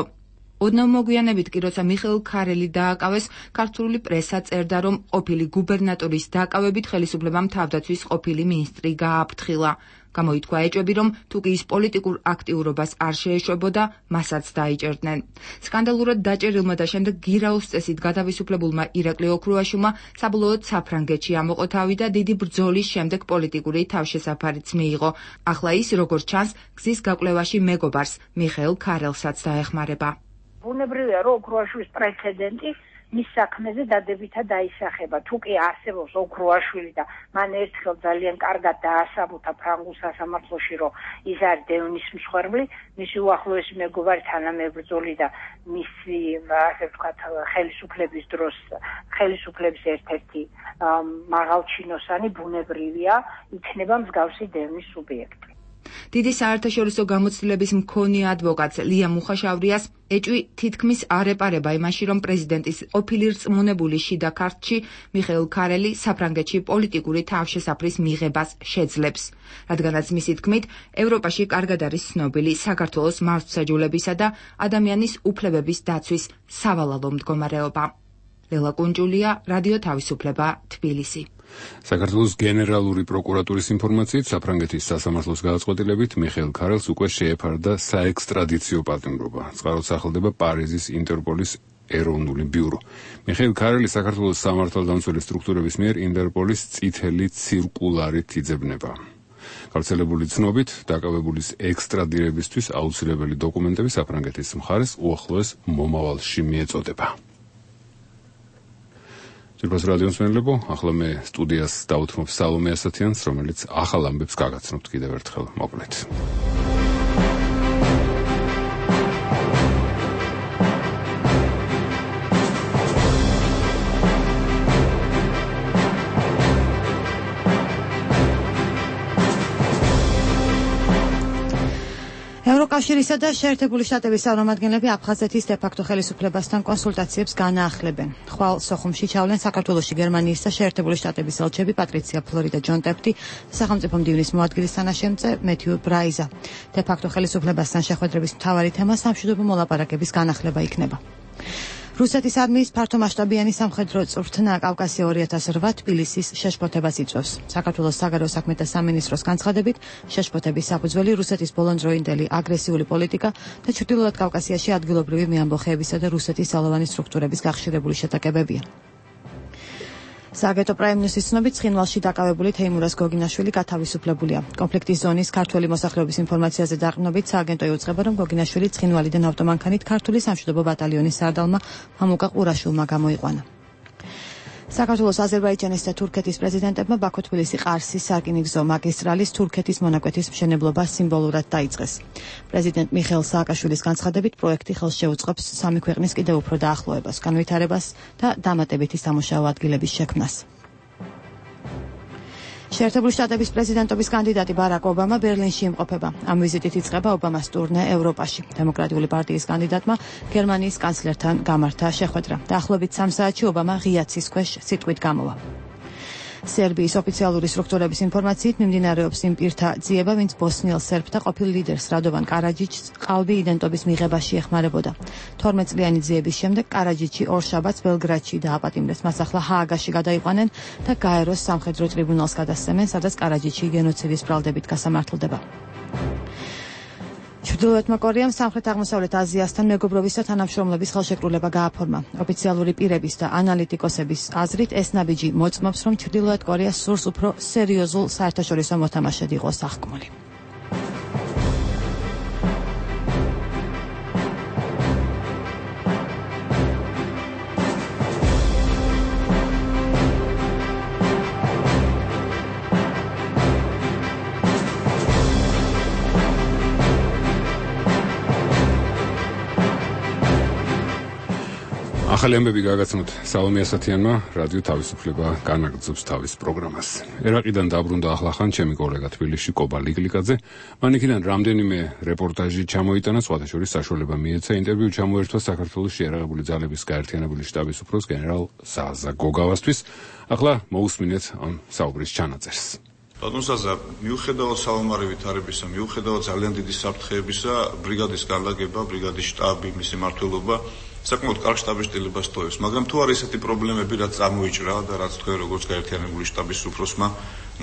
ოდნავ მოგვიანებით კი, როცა მიხეილ ქარელი დააკავეს, ქართული პრესა წერდა, რომ ყოფილი გუბერნატორის დაკავებით ხელისუფლებამ თავდაცვის ყოფილი მინისტრი გააფრთხილა. გამოითქვა ეჭვები, რომ თუ კი ის პოლიტიკურ აქტიურობას არ შეეშვებოდა, მასაც დაიჭერდნენ. სკანდალურად დაჭერილმა და შემდეგ გირაოს წესით გადავისუფლებულმა ირაკლი ოქრუაშვილმა საბოლოოდ საფრანგეთში ამოყო თავი და დიდი ბრძოლის შემდეგ პოლიტიკური თავშესაფარიც მიიღო. ახლა ის, როგორც ჩანს, გზის გაკვლევაში მეგობარს, მიხეილ ქარელსაც დაეხმარება. ბუნებრივია, რომ ოქრუაშვილის პრეცედენტი მის საქმეზე დადებითად დაისახება. თუ კი არსებობს ოქრუაშვილი და მან ერთხელ ძალიან კარგად დაასაბუთა ფრანგულ სასამართლოში, რომ ის არის დევნის მსხვერპლი, მისი უახლოესი მეგობარი თანამებრძოლი და მისი, ასე ვთქვათ, ხელისუფლების დროს ხელისუფლების ერთ-ერთი მაღალჩინოსანი, ბუნებრივია, იქნება მსგავსი დევნის სუბიექტი. დიდი საერთაშორისო გამოცდილების მქონე ადვოკატს ლია მუხაშავრიას ეჭვი თითქმის არ ეპარება იმაში, რომ პრეზიდენტის ყოფილი რწმუნებული შიდა ქართლში მიხეილ ქარელი საფრანგეთში პოლიტიკური თავშესაფრის მიღებას შეძლებს. რადგანაც მისი თქმით, ევროპაში კარგად არის ცნობილი საქართველოს მართლმსაჯულებისა და ადამიანის უფლებების დაცვის სავალალო მდგომარეობა. ლელა კუნჯულია, რადიო თავისუფლება, თბილისი. საქართველოს გენერალური პროკურატურის ინფორმაციით, საფრანგეთის სასამართლოს გადაწყვეტილებით მიხეილ ქარელს უკვე შეეფარდა საექსტრადიციო პატიმრობა. წყაროდ სახელდება პარიზის ინტერპოლის ეროვნული ბიურო. მიხეილ ქარელი საქართველოს სამართალდამცველი სტრუქტურების მიერ ინტერპოლის წითელი ცირკულარით იძებნება. გავრცელებული ცნობით, დაკავებულის ექსტრადირებისთვის აუცილებელი დოკუმენტები საფრანგეთის მხარეს უახლოეს მომავალში მიეწოდება. ძირფას რადიოს მენლებო, ახლა მე სტუდიას დავუთმობ სალომე ასათიანს, რომელიც ახალ ამბებს გაგაცნობთ კიდევ ერთხელ, მოკლედ. ევროკავშირისა და შეერთებული შტატების წარმომადგენლები აფხაზეთის დე-ფაქტო ხელისუფლებასთან კონსულტაციებს განაახლებენ. ხვალ სოხუმში ჩავლენ საქართველოში გერმანიის და შეერთებული შტატების ელჩები პატრიცია ფლორი და ჯონ ტეფტი, სახელმწიფო მდივნის მოადგილის თანაშემწე მეთიუ ბრაიზა. დე-ფაქტო ხელისუფლებასთან შეხვედრების მთავარი თემა სამშვიდობო მოლაპარაკების განახლება იქნება. რუსეთის არმიის ფართომასშტაბიანი სამხედრო წვრთნა კავკასია 2008 თბილისის შეშფოთებას იწვევს. საქართველოს საგარეო საქმეთა სამინისტროს განცხადებით, შეშფოთების საფუძველი რუსეთის ბოლონდროინდელი აგრესიული პოლიტიკა და ჩრდილოეთ კავკასიაში ადგილობრივი მეამბოხეებისა და რუსეთის ძალოვანი სტრუქტურების გახშირებული შეტაკებებია. სააგენტო პრაიმ-ნიუსის ცნობით, ცხინვალში დაკავებული თეიმურაზ გოგინაშვილი გათავისუფლებულია. კონფლიქტის ზონის ქართველი მოსახლეობის ინფორმაციაზე დაყრდნობით, სააგენტო იუწყება, რომ გოგინაშვილი ცხინვალიდან ავტომანქანით ქართული სამშვიდობო ბატალიონის სარდალმა მამუკა ყურაშვილმა გამოიყვანა. საქართველოს, აზერბაიჯანის და თურქეთის პრეზიდენტებმა ბაქო-თბილისი ყარსის სარკინიგზო მაგისტრალის თურქეთის მონაკვეთის მშენებლობა სიმბოლურად დაიწყეს. პრეზიდენტ მიხეილ სააკაშვილის განცხადებით, პროექტი ხელს შეუწყობს სამი ქვეყნის კიდევ უფრო დაახლოებას, განვითარებას და დამატებითი სამუშაო ადგილების შექმნას. შეერთებული შტატების პრეზიდენტობის კანდიდატი ბარაკ ობამა ბერლინში იმყოფება. ამ ვიზიტით იწყება ობამას ტურნე ევროპაში. დემოკრატიული პარტიის კანდიდატმა გერმანიის კანცლერთან გამართა შეხვედრა. დაახლოებით 3 საათში ობამა ღია ცის ქვეშ სიტყვით გამოვა. სერბიის ოფიციალური სტრუქტურების ინფორმაციით მიმდინარეობს იმ პირთა ძიება, ვინც ბოსნიელ სერბთა ყოფილ ლიდერს რადოვან კარაჯიჩს ყალბი იდენტობის მიღებაში ეხმარებოდა. 12 წლიანი ძიების შემდეგ კარაჯიჩი ორ შაბათს ბელგრადში დააპატიმრეს. მას ახლა ჰააგაში გადაიყვანენ და გაეროს სამხედრო ტრიბუნალს გადასცემენ, სადაც კარაჯიჩი გენოციდის ბრალდებით გასამართლდება. ჩრდილოეთმა კორეამ სამხრეთ-აღმოსავლეთ აზიასთან მეგობრობის და თანამშრომლობის ხელშეკრულება გააფორმა. ოფიციალური პირების და ანალიტიკოსების აზრით, ეს ნაბიჯი მოწმობს, რომ ჩრდილოეთ კორეა სურს უფრო სერიოზულ საერთაშორისო მოთამაშედ იყოს აღქმული. ახალი ამბები გაგაცნოთ სალომე ასათიანმა, რადიო თავისუფლება განაგრძობს თავის პროგრამას. ერაყიდან დაბრუნდა ახლახან ჩემი კოლეგა თბილისში კობა ლიგლიკაძე. მან იქიდან რამდენიმე რეპორტაჟი ჩამოიტანა, სხვათა შორის საშუალება მიეცა ინტერვიუ ჩამოერთვა საქართველოს შეიარაღებული ძალების გაერთიანებული შტაბის უფროს გენერალ ზაზა გოგავასთვის. ახლა მოусმინეთ ამ საუბრის ჩანაწერს. ბატონ ზაზა, მიუხედავად სალომარი ვითარებისა, მიუხედავად ძალიან დიდი საფრთხეებისა, ბრიგადის განლაგება, ბრიგადის შტაბი, მისი მმართველობა საკმაოდ კარგ შტაბის სტილებას ტოვებს, მაგრამ თუ არის ესეთი პრობლემები, რაც წარმოიჭრა და რაც თქვენ როგორც გაერთიანებული შტაბის უფროსმა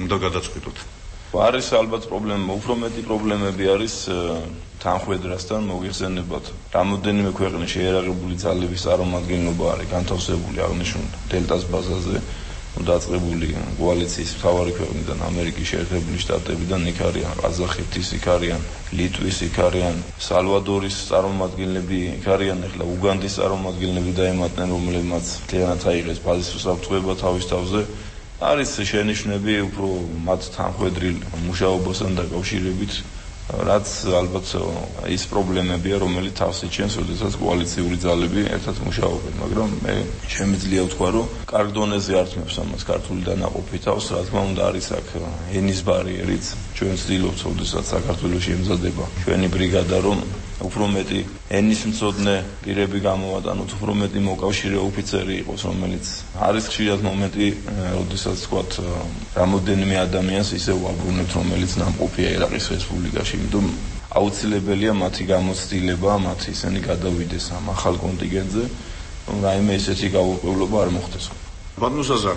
უნდა გადაწყვიტოთ. არის ალბათ პრობლემა, უფრო მეტი პრობლემები არის თანხმედრასთან მოგიხსენებათ. რამოდენიმე ქვეყნის შეიარაღებული ძალების წარმომადგენლობა არის განთავსებული აღნიშნულ დელტას ბაზაზე. დაწყებული კოალიციის მთავარი ქვეყნიდან ამერიკის შეერთებული შტატებიდან იქ არიან ყაზახეთის, იქ არიან ლიტვის, იქ არიან სალვადორის წარმომადგენლები, იქ არიან ახლა უგანდის წარმომადგენლები დაემატნენ, რომლებმაც მთლიანად აიღეს ბაზის უსაფრთხოება თავის თავზე. არის შენიშვნები უფრო მათ თანხმედრილ მუშაობასთან დაკავშირებით, რაც ალბათ ის პრობლემებია, რომელიც თავს იჩენს, როდესაც კოალიციური ძალები ერთად მუშაობენ, მაგრამ მე შემიძლია ვთქვა, რომ კარგ დონეზე ართმევს ამას ქართული დანაყოფი თავს, რა თქმა უნდა არის აქ ენის ბარიერიც, ჩვენ ვცდილობთ, როდესაც საქართველოში ემზადება ჩვენი ბრიგადა, რომ უფრო მეტი ენის მცოდნე პირები გამოვატანოთ, უფრო მეტი მოკავშირე ოფიცერი იყოს, რომელიც არის ხშირად მომენტი, როდესაც ვთქვათ, რამოდენიმე ადამიანს ისე ვაბრუნებთ, რომელიც ნამყოფია ერაყის რესპუბლიკაში, იმიტომ აუცილებელია მათი გამოცდილება, მათ ისინი გადავიდეს ამ ახალ კონტინგენტზე, რომ რაიმე ესეთი გაურკვევლობა არ მოხდეს. ბატონ ზაზა,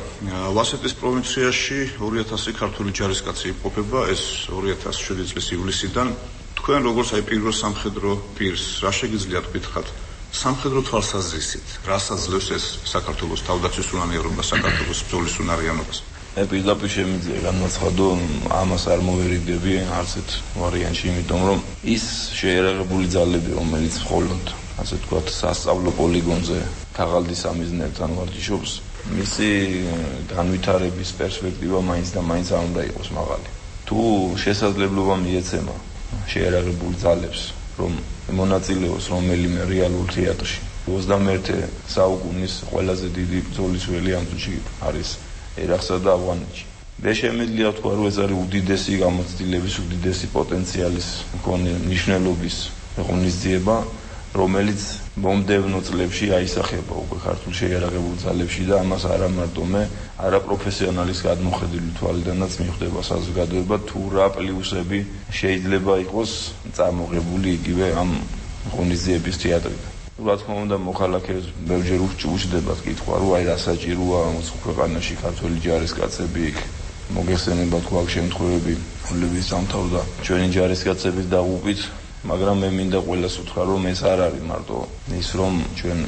ვასეტის პროვინციაში 2000 ქართული ჯარისკაცი იმყოფება, ეს 2007 წლის ივლისიდან. თქვენ როგორც აი პირველ სამხედრო პირს, რა შეგიძლიათ გითხრათ სამხედრო თვალსაზრისით, რას აძლევს ეს საქართველოს თავდაცვის უნარიანობას, საქართველოს ბრძოლის უნარიანობას? მე პირდაპირ შემიძლია განმაცხადო, ამას არ მოვერიდები არც ერთ ვარიანტში, იმიტომ რომ ის შეიარაღებული ძალები, რომელიც მხოლოდ ასე ვთქვათ, სასწავლო პოლიგონზე ქაღალდის სამიზნეებთან ვარჯიშობს, მისი განვითარების პერსპექტივა მაინც და მაინც არ უნდა იყოს მაღალი. თუ შესაძლებლობა მიეცემა შეიარაღებული ძალებს, რომ მონაწილეოს რომელიმე რეალურ თეატრში 21 საუკუნის ყველაზე დიდი ბრძოლის ველი ამ წუთში არის ერაყსა და ავღანეთში. მე შემიძლია ვთქვა, რომ ეს არის უდიდესი გამოცდილების, უდიდესი პოტენციალის მქონე მნიშვნელობის ღონისძიება, რომელიც მომდევნო წლებში აისახება უკვე ქართულ შეიარაღებულ ძალებში და ამას არა მარტო მე, არა პროფესიონალის გადმოხედული თვალიდანაც მიხვდება საზოგადოება, თუ რა პლუსები შეიძლება იყოს წარმოღებული იგივე ამ ღონისძიების თეატრიდან. რა თქმა უნდა, მოქალაქეებს ბევრჯერ უჭდებათ კითხვა, რომ აი რა საჭიროა მოცხ ქვეყანაში ქართული ჯარისკაცები იქ მოგეხსენებათ გვაქვს შემთხვევები, რომლებიც დამთავრდა ჩვენი ჯარისკაცების დაღუპვით, მაგრამ მე მინდა ყველას უთხრა, რომ ეს არ არის მარტო ის, რომ ჩვენ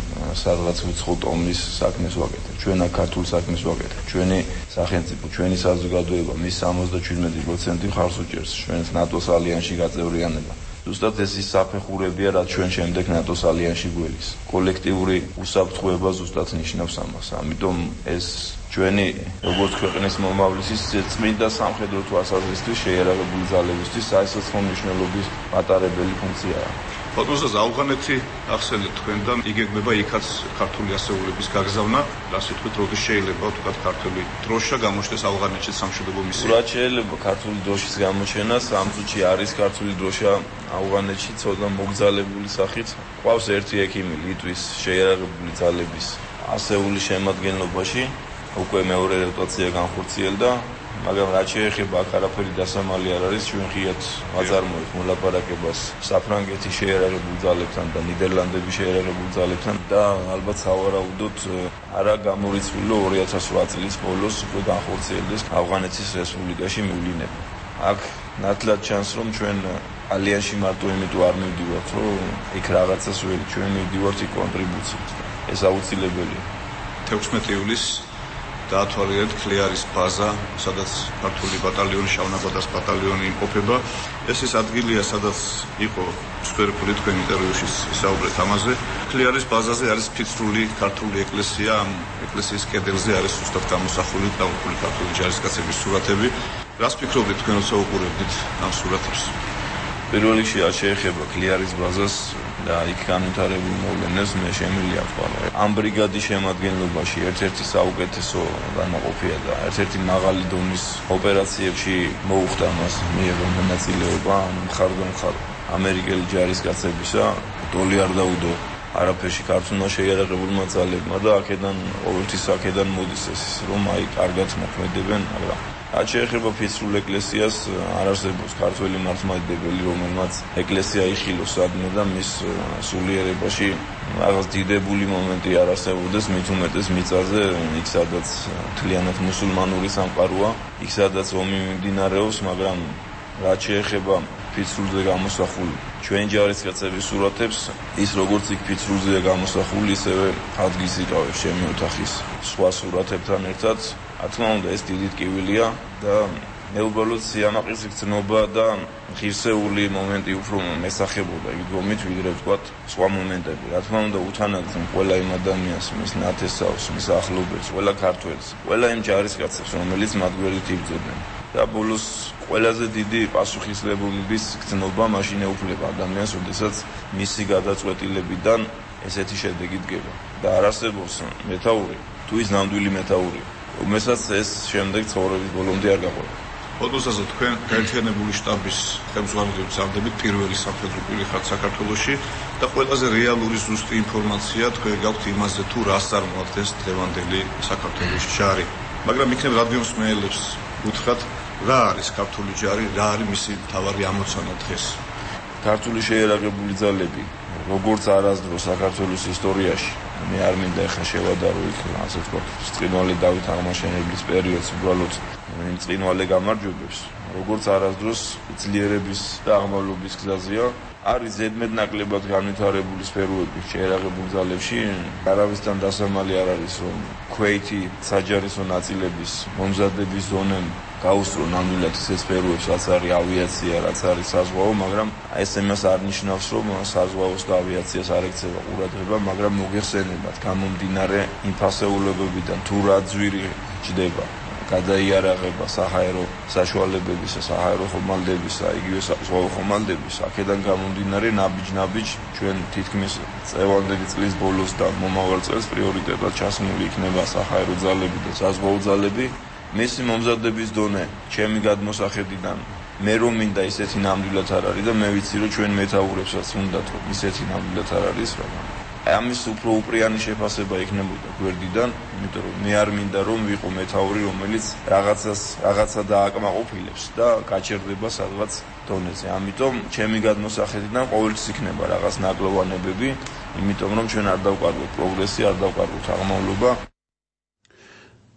სადღაც უცხო ტომის საქმეს ვაკეთებთ. ჩვენ აქ ქართულ საქმეს ვაკეთებთ. ჩვენი სახელმწიფო, ჩვენი საზოგადოება მის 77% მხარს უჭერს ჩვენს ნატოს ალიანსში გაწევრიანება. ზუსტად ეს ის საფეხურებია, რაც ჩვენ შემდეგ ნატოს ალიანსში გველის. კოლექტიური უსაფრთხოება ზუსტად ნიშნავს ამას. ამიტომ ეს ჩვენი როგორც ქვეყნის მომავლის წმინდა სამხედრო თვალსაზრისით შეიარაღებული ძალებისთვის საერთო მნიშვნელობის მატარებელი ფუნქციაა. ბატონ ზაზა, ავღანეთი ახსენეთ თქვენთან, იგეგმება იქაც ქართული ასეულების გაგზავნა, რა სიტყვით, როდის შეიძლება თქვათ ქართული დროშა გამოჩნდეს ავღანეთში სამშვიდობო მისია? რა შეიძლება ქართული დროშის გამოჩენა, ამ წუთში არის ქართული დროშა ავღანეთში ცოტა მოგზალებული სახით. ყავს ერთი ექიმი ლიტვის შეიარაღებული ძალების ასეულის შემადგენლობაში, უკვე მეორე როტაცია განხორციელდა, მაგრამ რაც შეეხება აქ არაფერი დასამალი არ არის, ჩვენ ღიად ვაწარმოებთ მოლაპარაკებას საფრანგეთის შეიარაღებულ ძალებთან და ნიდერლანდების შეიარაღებულ ძალებთან და ალბათ სავარაუდოდ არა გამორიცხული 2008 წლის ბოლოს უკვე განხორციელდეს ავღანეთის რესპუბლიკაში მივლინება. აქ ნათლად ჩანს, რომ ჩვენ ალიანსში მარტო იმიტომ არ მივდივართ, რომ იქ რაღაცას ველი, ჩვენ მივდივართ იქ კონტრიბუციით. ეს აუცილებელია. 16 ივლისს დაათვალიერეთ ქლიარის ბაზა, სადაც ქართული ბატალიონი, შავნაბადას ბატალიონი იმყოფება. ეს ის ადგილია, სადაც იყო სფეროფული თქვენ ინტერვიუში ისაუბრეთ ამაზე. ქლიარის ბაზაზე არის ფიცრული ქართული ეკლესია, ამ ეკლესიის კედელზე არის ზუსტად გამოსახული დაღუპული ქართული ჯარისკაცების სურათები. რას ფიქრობთ თქვენ როცა უყურებთ ამ სურათებს? პირველ რიგში არ შეეხება ქლიარის ბაზას და იქ განვითარებულ მოვლენებს მე შემიძლია ვთქვა. ამ ბრიგადის შემადგენლობაში ერთ-ერთი საუკეთესო განაყოფია და ერთ-ერთი მაღალი დონის ოპერაციებში მოუხდა მას მიიღო მონაწილეობა მხარდამხარ ამერიკელი ჯარისკაცებისა. დოლი არ დაუდო არაფერში ქართულმა შეიარაღებულმა ძალებმა და აქედან ყოველთვის აქედან მოდის ეს რომ აი კარგად მოქმედებენ, მაგრამ რაც შეეხება ფიცრულ ეკლესიას არ არსებობს ქართველი მართლმადიდებელი, რომელმაც ეკლესია იხილოს სადმე და მის სულიერებაში რაღაც დიდებული მომენტი არ არსებობდეს, მით უმეტეს მიწაზე, იქ სადაც მთლიანად მუსულმანური სამყაროა, იქ სადაც ომი მიმდინარეობს, მაგრამ რაც შეეხება ფიცრულზე გამოსახულ ჩვენ ჯარისკაცების სურათებს, ის როგორც იქ ფიცრულზეა გამოსახული, ისევე ადგილს იკავებს ჩემი ოთახის სხვა სურათებთან ერთად. რა თქმა უნდა, ეს დიდი ტკივილია და მეუბნებოდ სიამაყის გრძნობა და ღირსეული მომენტი უფრო მესახებოდა იქ გომით, ვიდრე ვთქვათ სხვა მომენტები. რა თქმა უნდა, უთანაგზნ ყველა იმ ადამიანს, მის ნათესავს, მის ახლობელს, ყველა ქართველს, ყველა იმ ჯარისკაცებს, რომელიც მათ გვერდით იბრძოდნენ. და ბოლოს ყველაზე დიდი პასუხისმგებლობის გრძნობა მაშინ ეუფლება ადამიანს, როდესაც მისი გადაწყვეტილებიდან ესეთი შედეგი დგება. და არ არსებობს მეთაური, თუ ის ნამდვილი მეთაურია, რომელსაც ეს შემდეგ ცხოვრების ბოლომდე არ გაყვება. ფოტოსაზე თქვენ გაერთიანებული შტაბის ხელმძღვანელობის ამბებით პირველი სამხედრო პირი ხართ საქართველოში და ყველაზე რეალური ზუსტი ინფორმაცია თქვენ გაქვთ იმაზე, თუ რას წარმოადგენს დღევანდელი საქართველოს ჯარი. მაგრამ იქნებ რადიოსმენელებს უთხრათ, რა არის ქართული ჯარი, რა არის მისი მთავარი ამოცანა დღეს? ქართული შეიარაღებული ძალები, როგორც არასდროს საქართველოს ისტორიაში, მე არ მინდა ახლა შევადარო იქ, ასე ვთქვათ, ბრწყინვალე დავით აღმაშენებლის პერიოდს უბრალოდ იმ ბრწყინვალე გამარჯვებებს, როგორც არასდროს ძლიერების და აღმავლობის გზაზეა, არის ზედმეტნაკლებად განვითარებული სფეროები შეიარაღებულ ძალებში. არავისთან დასამალი არ არის, რომ ქვეითი საჯარისო ნაწილების მომზადების ზონემ გაუსწრო ნამდვილად ეს სფეროებს, რაც არის ავიაცია, რაც არის საზღვაო, მაგრამ ეს იმას არ ნიშნავს, რომ საზღვაოს და ავიაციას არ ექცევა ყურადღება, მაგრამ მოგეხსენებათ გამომდინარე იმ ფასეულებებიდან თუ რა ძვირი ჭდება გადაიარაღება საჰაერო საშუალებებისა, საჰაერო ხომალდებისა, იგივე საზღვაო ხომალდების, აქედან გამომდინარე ნაბიჯ ჩვენ თითქმის წლევანდელი წლის ბოლოს და მომავალ წელს პრიორიტეტად ჩასმული იქნება საჰაერო ძალები და საზღვაო ძალები. მისი მომზადების დონე ჩემი გადმოსახედიდან მე რომ მინდა ისეთი ნამდვილად არ არის და მე ვიცი რომ ჩვენ მეთაურებსაც უნდათ რომ ისეთი ნამდვილად არ არის, მაგრამ ამის უფრო უპრიანი შეფასება იქნებოდა გვერდიდან, იმიტომ რომ მე არ მინდა რომ ვიყო მეთაური, რომელიც რაღაცა დააკმაყოფილებს და გაჩერდება სადღაც დონეზე. ამიტომ ჩემი გადმოსახედიდან ყოველთვის იქნება რაღაც ნაკლოვანებები, იმიტომ რომ ჩვენ არ დავკარგოთ პროგრესი, არ დავკარგოთ აღმავლობა.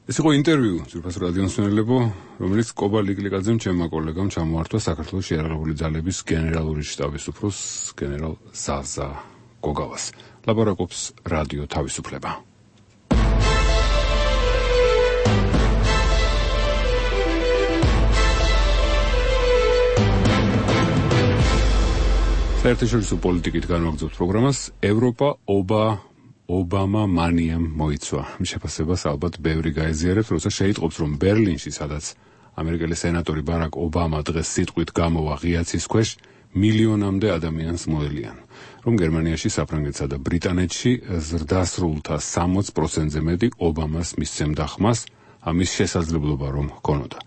ეს იყო ინტერვიუ ძვირფას რადიომსმენელებო, რომელიც კობა ლიკლიკაძემ ჩემმა კოლეგამ ჩამოართვა საქართველოს შეიარაღებული ძალების გენერალური შტაბის უფროს გენერალ ზაზა გოგავას. ლაპარაკობს რადიო თავისუფლება. საერთაშორისო პოლიტიკით განვაგრძობთ პროგრამას ევროპა ობამა მანიამ მოიცვა. შეფასებას ალბათ ბევრი გაეზიარებს, როცა შეიტყობს, რომ ბერლინში, სადაც ამერიკელი სენატორი ბარაკ ობამა დღეს სიტყვით გამოვა ღიაცის ქვეშ, მილიონამდე ადამიანს მოელიან, რომ გერმანიაში, საფრანგეთსა და ბრიტანეთში ზრდასრულთა 60%-ზე მეტი ობამას მისცემდა ხმას, ამის შესაძლებლობა რომ ჰქონოდა.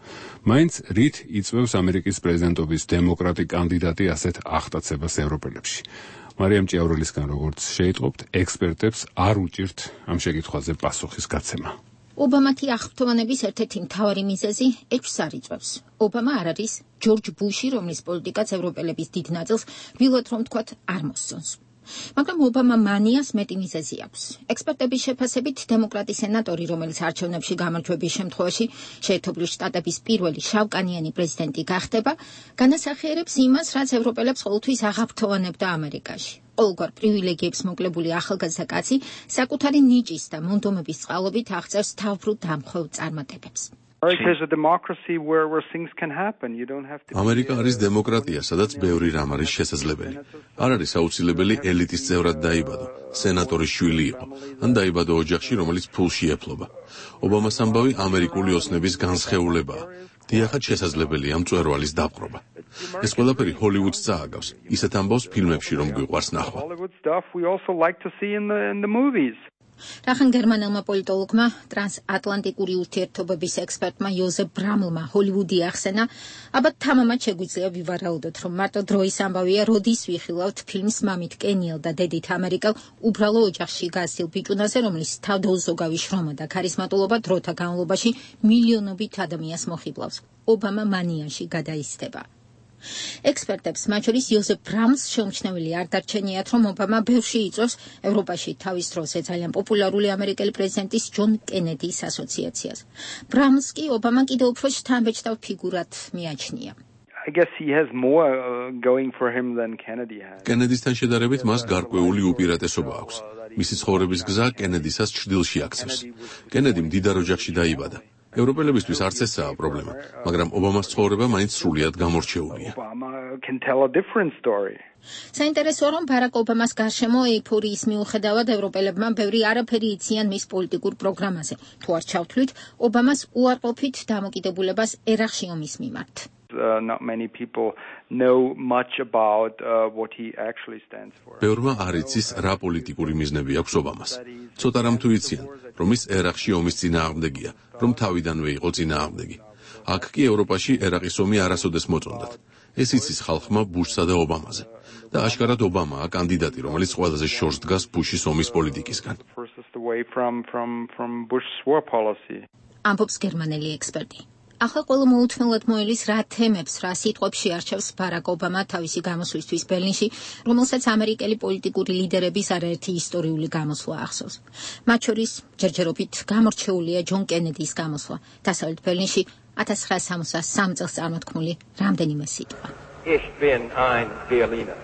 მაინც რით იწვევს ამერიკის პრეზიდენტობის დემოკრატი კანდიდატი ასეთ აღტაცებას ევროპელებში? მარიამ ჭიავრელისგან როგორც შეიტყობთ, ექსპერტებს არ უჭირთ ამ შეკითხვაზე პასუხის გაცემა. ობამათი აღფრთოვანების ერთ-ერთი მთავარი მიზეზი ეჭვს არ იწვევს. ობამა არ არის ჯორჯ ბუში, რომლის პოლიტიკაც ევროპელების დიდ ნაწილს ვილოდ რომ თქვათ არ მოსწონს. მაგრამ ობამა მანიას მეტი მიზეზი აქვს. ექსპერტების შეფასებით, დემოკრატი სენატორი, რომელიც არჩევნებში გამარჯვების შემთხვევაში შეერთებული შტატების პირველი შავკანიანი პრეზიდენტი გახდება, განასახიერებს იმას, რაც ევროპელებს ყოველთვის აღაფრთოვანებდა ამერიკაში. ყოველგვარ პრივილეგიებს მოკლებული ახალგაზრდა კაცი საკუთარი ნიჭის და მონდომების წყალობით აღწერს თავბრუ დამხვევ წარმატებებს. ამერიკა არის დემოკრატია, სადაც ბევრი რამ არის შესაძლებელი. არ არის აუცილებელი ელიტის წევრად დაიბადო, სენატორის შვილი იყო, ან დაიბადო ოჯახში, რომელიც ფულში ეფლობა. ობამას ამბავი ამერიკული ოცნების განსხეულებაა. დიახაც შესაძლებელია მწვერვალის დაპყრობა. ეს ყველაფერი ჰოლივუდს წააგავს. ისეთ ამბავს ფილმებში რომ გვიყვარს ნახვა. რახან გერმანელმა პოლიტოლოგმა, ტრანსატლანტიკური ურთიერთობების ექსპერტმა იოზეფ ბრამლმა ჰოლივუდი ახსენა, აბა თამამად შეგვიძლია ვივარაუდოთ, რომ მარტო დროის ამბავია, როდის ვიხილავთ ფილმს მამით კენიელ და დედით ამერიკელ უბრალო ოჯახში გასცილ ბიჭუნაზე, რომლის თავდაუზოგავი შრომა და ქარისმატულობა დროთა განმავლობაში მილიონობით ადამიანს მოხიბლავს. ობამა მანიაში გადაიზრდება. ექსპერტებს, მათ შორის იოზეფ ბრამლს შეუმჩნეველი არ დარჩენიათ, რომ ობამა ბევრში იწვევს ევროპაში თავის დროზე ძალიან პოპულარული ამერიკელი პრეზიდენტის ჯონ კენედის ასოციაციას. ბრამლს კი ობამა კიდევ უფრო შთამბეჭდავ ფიგურად მიაჩნია. I guess he has more going for him than Kennedy had. კენედისთან შედარებით მას გარკვეული უპირატესობა აქვს. მისი ცხოვრების გზა კენედისას ჩრდილში აქცევს. კენედი მდიდარ ოჯახში დაიბადა. ევროპელებისთვის არც ესაა პრობლემა, მაგრამ ობამას ცხოვრება მაინც სრულიად გამორჩეულია. საინტერესოა, რომ ბარაკ ობამას გარშემო ეიფორიის მიუხედავად ევროპელებმა ბევრი არაფერი იციან მის პოლიტიკურ პროგრამაზე. თუ არ ჩავთვლით, ობამას უარყოფით დამოკიდებულებას ერაყში ომის მიმართ. Not many people know much about what he actually stands for. ბევრმა არ იცის რა პოლიტიკური მიზნები აქვს ობამას. ცოტა რამ თუ იციან, რომ ის ერაყში ომის წინააღმდეგია, რომ თავიდანვე იყო წინააღმდეგი. აქ კი ევროპაში ერაყის ომი არასოდეს მოწონდათ. ეს იცის ხალხმა ბუშსა და ობამაზე. და აშკარად ობამაა კანდიდატი, რომელიც ყველაზე შორს დგას ბუშის ომის პოლიტიკისგან. ამბობს გერმანელი ექსპერტი. ახლა ყველა მოუთმელად მოელის რა თემებს, რა სიტყვებში არჩევს ბარაკ ობამა თავისი გამოსვლისთვის ბერლინში, რომელსაც ამერიკელი პოლიტიკური ლიდერების არაერთი ისტორიული გამოსვლა ახსოვს. მათ შორის ჯერჯერობით გამორჩეულია ჯონ კენედის გამოსვლა. დასავლეთ ბერლინში 1963 წელს წარმოთქმული რამდენიმე სიტყვა. Ich bin ein Berliner.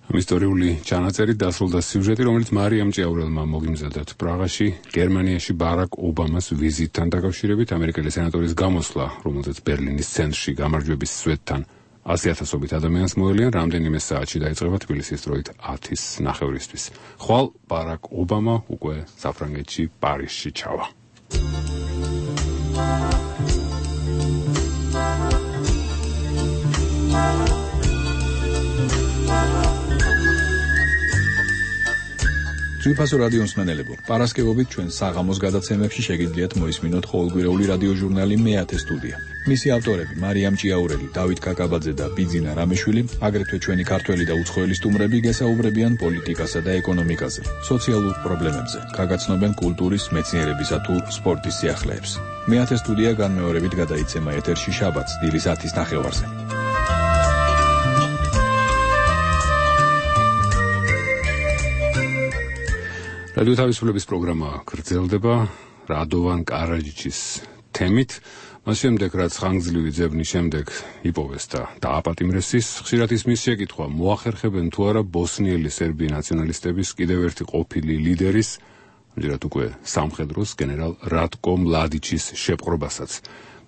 ამ ისტორიული ჩანაწერი დასრულდა სიუჟეტი, რომელიც მარიამ ჭიაურელმა მოგიმზადათ პრაღაში, გერმანიაში ბარაკ ობამას ვიზიტთან დაკავშირებით. ამერიკელი სენატორის გამოსვლა, რომელზეც ბერლინის ცენტრში გამარჯვების სვეტთან 100,000-ობით ადამიანს მოელიან, რამდენიმე საათში დაიწყება თბილისის დროით 10-ის ნახევრისთვის. ხვალ ბარაკ ობამა უკვე საფრანგეთში, პარიზში ჩავა. ძვირფასო რადიო მსმენელებო, პარასკევობით ჩვენ საღამოს გადაცემებში შეგიძლიათ მოისმინოთ ყოველკვირეული რადიო ჟურნალი მე-10 სტუდია. მისი ავტორები მარიამ ჭიაურელი, დავით კაკაბაძე და ბიძინა რამეშვილი, აგრეთვე ჩვენი ქართველი და უცხოელი სტუმრები გესაუბრებიან პოლიტიკასა და ეკონომიკაზე, სოციალურ პრობლემებზე, გაგაცნობენ კულტურის, მეცნიერებისა თუ სპორტის სიახლეებს. მე-10 სტუდია განმეორებით გადაიცემა ეთერში შაბათს დილის 10-ის ნახევარზე. რადიო თავისუფლების პროგრამა გრძელდება რადოვან კარაჯიჩის თემით. მას შემდეგ, რაც ხანგრძლივი ძებნის შემდეგ იპოვეს და დააპატიმრეს ის, ხშირად ისმის შეკითხვა, მოახერხებენ თუ არა ბოსნიელი სერბი ნაციონალისტების კიდევ ერთი ყოფილი ლიდერის, ამჯერად უკვე სამხედროს გენერალ რატკო მლადიჩის შეპყრობასაც.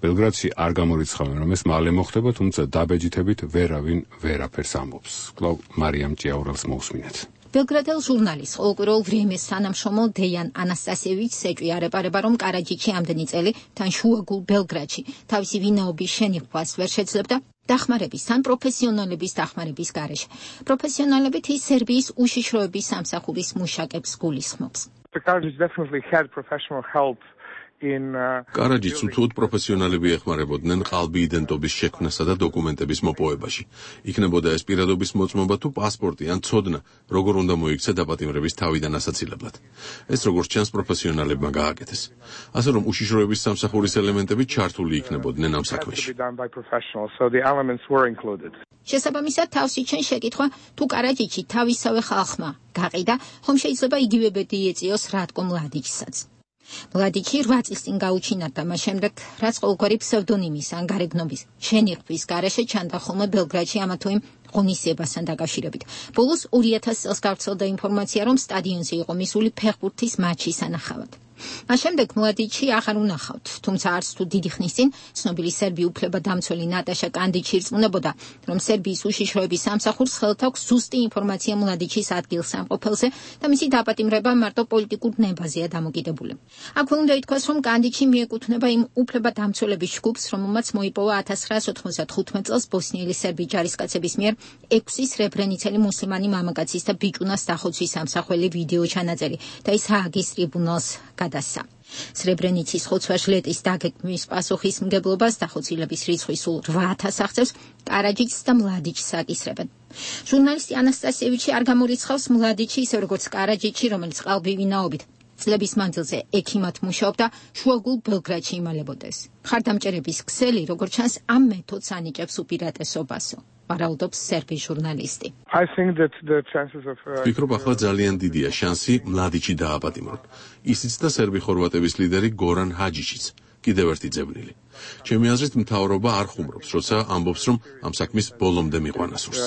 ბელგრადში არ გამორიცხავენ, რომ ეს მალე მოხდება, თუმცა დაბეჯითებით ვერავინ ვერაფერს ამბობს. კვლავ მარიამ ჭიაურელს მოусმინეთ. ბელგრადელ ჟურნალის ყოველკვირეულ ვრემეს თანამშრომელ დეიან ანასტასიევიჩს ეჭვიარება, რომ კარაჯიჩი ამდენი წელი თან შუაგულ ბელგრადში თავისი ვინაობის შენიღვას ვერ შეძლებდა დახმარების თან პროფესიონალების დახმარების გარეშე. პროფესიონალებით ის სერბიის უშიშროების სამსახურის მუშაკებს გულისხმობს. კარაჯიც უთუოდ პროფესიონალები ეხმარებოდნენ ყალბი იდენტობის შექმნასა და დოკუმენტების მოპოვებაში. იქნებოდა ეს პირადობის მოწმობა თუ პასპორტი ან ცოდნა, როგორ უნდა მოიქცა დაპატიმრების თავიდან ასაცილებლად. ეს როგორც ჩანს პროფესიონალებმა გააკეთეს. ასე რომ უშიშროების სამსახურის ელემენტები ჩართული იქნებოდნენ ამ საქმეში. შესაბამისად თავს იჩენ შეკითხვა, თუ კარაჯიჩი თავისავე ხალხმა გაყიდა, ხომ შეიძლება იგივე ბედი ეწიოს რატკო მლადიჩსაც. მლადიჩი 8 წლის წინ გაუჩინარდა მას შემდეგ, რაც ყოველგვარი ფსევდონიმის ან გარეგნობის შენიღბვის გარეშე ჩანდა ხოლმე ბელგრადში ამა თუ იმ ღონისძიებასთან დაკავშირებით. ბოლოს 2000 წელს გავრცელდა ინფორმაცია, რომ სტადიონზე იყო მისული ფეხბურთის მატჩის სანახავად. მას შემდეგ მლადიჩი აღარ უნახავთ, თუმცა არც თუ დიდი ხნის წინ ცნობილი სერბი უფლებადამცველი ნატაშა კანდიჩი ირწმუნებოდა, რომ სერბიის უშიშროების სამსახურს ხელთ აქვს ზუსტი ინფორმაცია მლადიჩის ადგილსამყოფელზე და მისი დაპატიმრება მარტო პოლიტიკურ ნებაზეა დამოკიდებული. აქვე უნდა ითქვას, რომ კანდიჩი მიეკუთვნება იმ უფლებადამცველების ჯგუფს, რომელმაც მოიპოვა 1995 წელს ბოსნიელი სერბი ჯარისკაცების მიერ 6 სრებრენიცელი მუსლიმანი მამაკაცის და ბიჭუნას დახოცვის სამსახველი ვიდეო ჩანაწერი და ის ჰააგის ტრიბუნალს გადასცა. სრებრენიცის ხოცვა ჟლეტის დაგეგმვის პასუხისმგებლობას დახოცილების რიცხვი სულ 8000 აღწევს, კარაჯიჩს და მლადიჩს აკისრებენ. ჟურნალისტი ანასტასიევიჩი არ გამორიცხავს მლადიჩი ისე როგორც კარაჯიჩი, რომელიც ყალბივინაობით წლების მანძილზე ექიმად მუშაობდა, შუაგულ ბელგრადში იმალებოდეს. ხარდამჭერების ქსელი, როგორც ჩანს, ამ მეთოდს ანიჭებს უპირატესობასო. ვარაუდობს სერბი ჟურნალისტი. ვფიქრობ, ახლა ძალიან დიდია შანსი მლადიჩი დააპატიმრონ. ისიც და სერბი ხორვატების ლიდერი გორან ჰაჯიჩიც, კიდევ ერთი ძებნილი. ჩემი აზრით, მთავრობა არ ხუმრობს, როცა ამბობს, რომ ამ საქმის ბოლომდე მიყვანა სურს.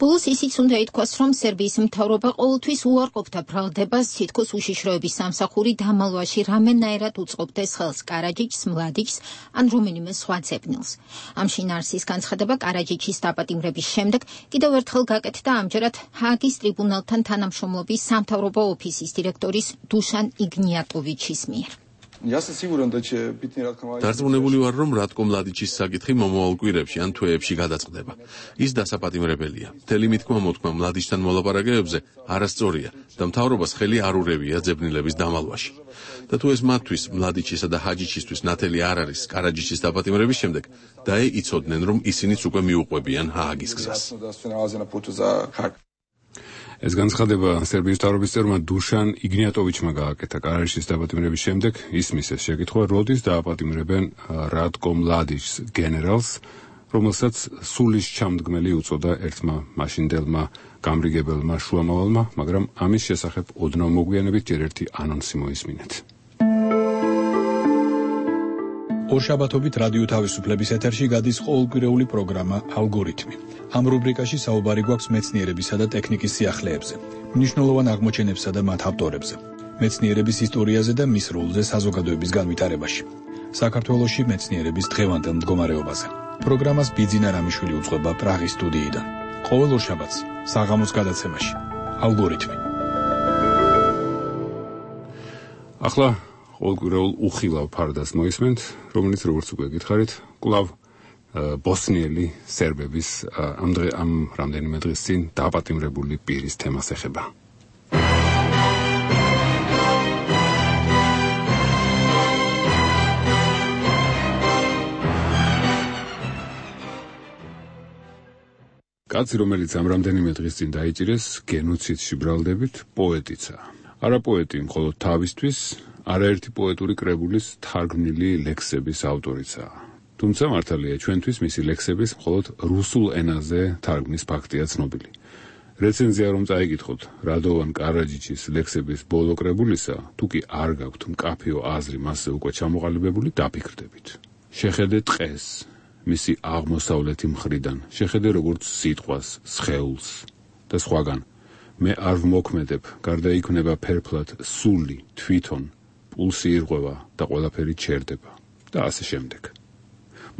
ბოლოს ისიც უნდა ითქვას, რომ სერბიის მთავრობა ყოველთვის უარყოფდა ბრალდებას, თითქოს უშიშროების სამსახური დამალვაში რამენაერად უწყობდეს ხელს კარაჯიჩს, მლადიჩს ან რომელიმე სხვა ძებნილს. ამ შინაარსის განცხადება კარაჯიჩის დაპატიმრების შემდეგ კიდევ ერთხელ გაკეთდა ამჯერად ჰააგის ტრიბუნალთან თანამშრომლობის სამთავრობო ოფისის დირექტორის დუშან იგნიატოვიჩის მიერ. დარწმუნებული ვარ, რომ რატკო მლადიჩის საკითხი მომავალ კვირებში ან თვეებში გადაწყდება. ის დასაპატიმრებელია. მთელი მითქმა მოთქმა მლადიჩთან მოლაპარაკებებზე არასწორია და მთავრობას ხელი არ ურევია ძებნილების დამალვაში. და თუ ეს მათთვის, მლადიჩისა და ჰაჯიჩისთვის ნათელი არ არის კარაჯიჩის დაპატიმრების შემდეგ, იცოდნენ, რომ ისინიც უკვე მიუყვებიან ჰააგის გზას. ეს განცხადება სერბიის მთავრობის წევრმა დუშან იგნიატოვიჩმა გააკეთა კარაჯიჩის დაპატიმრების შემდეგ. ისმის ეს შეკითხვა, როდის დააპატიმრებენ რატკო მლადიჩს გენერალს, რომელსაც სულის ჩამდგმელი უწოდა ერთმა მაშინდელმა გამრიგებელმა შუამავალმა, მაგრამ ამის შესახებ ოდნავ მოგვიანებით ჯერ ერთი ანონსი მოისმინეთ. ორშაბათობით რადიო თავისუფლების ეთერში გადის ყოველკვირეული პროგრამა ალგორითმი. ამ რუბრიკაში საუბარი გვაქვს მეცნიერებისა და ტექნიკის სიახლეებზე, მნიშვნელოვან აღმოჩენებსა და მათ ავტორებზე, მეცნიერების ისტორიაზე და მის როლზე საზოგადოების განვითარებაში, საქართველოში მეცნიერების დღევანდელ მდგომარეობაზე. პროგრამას ბიძინა რამიშვილი უწყობა პრაღის სტუდიიდან. ყოველ ორშაბათს საღამოს გადაცემაში ალგორითმი. ახლა ყოველკვირეულ უხილავ ფარდას მოისმენთ, რომელიც როგორც უკვე გითხარით, კვლავ ბოსნიელი სერბების ამ რამდენიმე დღის წინ დაპატიმრებული პირის თემას ეხება. კაცი, რომელიც ამ რამდენიმე დღის წინ დაიჭირეს გენოციდში ბრალდებით, პოეტიცა. არა პოეტი მხოლოდ თავისთვის, არაერთი პოეტური კრებულის თარგმნილი ლექსების ავტორიცაა. თუმცა მართალია, ჩვენთვის მისი ლექსების მხოლოდ რუსულ ენაზე თარგმნის ფაქტია ცნობილი. რეცენზია რომ წაიკითხოთ რადოვან კარაჯიჩის ლექსების ბოლო კრებულისა, თუ კი არ გაქვთ მკაფიო აზრი მასზე უკვე ჩამოყალიბებული, დაფიქრდებით. შეხედე ტყეს მისი აღმოსავლეთი მხრიდან, შეხედე როგორც სიტყვას, სხეულს და სხვაგან. მე არ ვმოქმედებ, გარდაიქმნება ფერფლად სული, თვითონ, პულსი ირღვევა და ყველაფერი ჩერდება და ასე შემდეგ.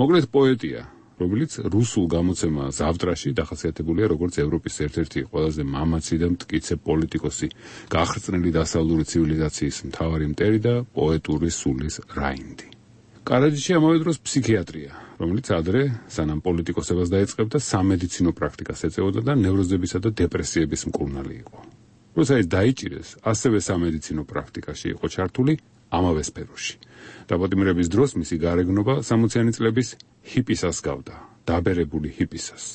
მოკლედ პოეტია, რომელიც რუსულ გამოცემა ზავტრაში დახასიათებულია როგორც ევროპის ერთ-ერთი ყველაზე მამაცი და მტკიცე პოლიტიკოსი, გახრწნილი დასავლური ცივილიზაციის მთავარი მტერი და პოეტური სულის რაინდი. კარაჯიჩი ამავე დროს ფსიქიატრია, რომელიც ადრე სანამ პოლიტიკოსებას დაეწყებდა სამედიცინო პრაქტიკას ეწეოდა და ნევროზებისა და დეპრესიების მკურნალი იყო. როცა ის დაიჭირეს, ასევე სამედიცინო პრაქტიკაში იყო ჩართული ამავე სფეროში. დაპატიმრების დროს მისი გარეგნობა 60-იანი წლების ჰიპისას გავდა, დაბერებული ჰიპისას.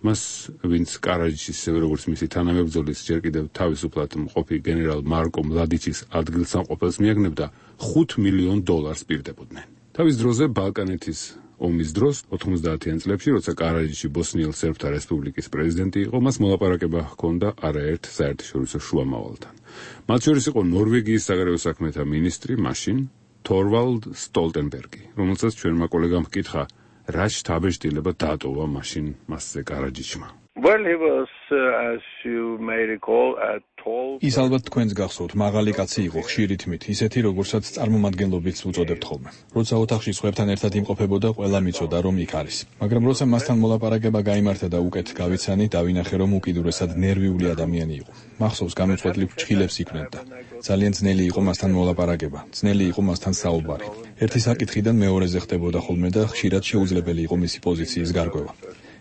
მას, ვინც კარაჯიჩის როგორც მისი თანამებრძოლის ჯერ კიდევ თავისუფლად მყოფი გენერალ მარკო მლადიჩის ადგილსამყოფელს მიაგნებდა $5 მილიონ პირდებოდნენ. თავის დროზე ბალკანეთის ომის დროს 90-იან წლებში, როცა კარაჯიჩი ბოსნიელ სერბთა რესპუბლიკის პრეზიდენტი იყო, მას მოლაპარაკება ჰქონდა არაერთ საერთაშორისო შუამავალთან. მათ შორის იყო ნორვეგიის საგარეო საქმეთა მინისტრი მაშინ თორვალდ სტოლტენბერგი, რომელსაც ჩვენმა კოლეგამ ჰკითხა, რა შთაბეჭდილება დატოვა მაშინ მასზე კარაჯიჩმა. Well, he was, as you may recall, tall. ის ალბათ თქვენს გახსოვთ, მაღალი კაცი იყო, ხშირი თმით, ისეთი როგორცაც წარმომადგენლობით უწოდებთ ხოლმე. როცა ოთახში სხვებთან ერთად იმყოფებოდა, ყველა მიცოდა, რომ იქ არის. მაგრამ როცა მასთან მოლაპარაკება გაიმართა და უკეთ გავიცანი, დავინახე, რომ უკიდურესად ნერვიული ადამიანი იყო. მახსოვს, გამოწყვეტილ ფრჩხილებს იქნებდა. ძალიან ძნელი იყო მასთან მოლაპარაკება, ძნელი იყო მასთან საუბარი. ერთი საკითხიდან მეორეზე ხდებოდა ხოლმე და ხშირად შეუძლებელი იყო მისი პოზიციის გარკვევა.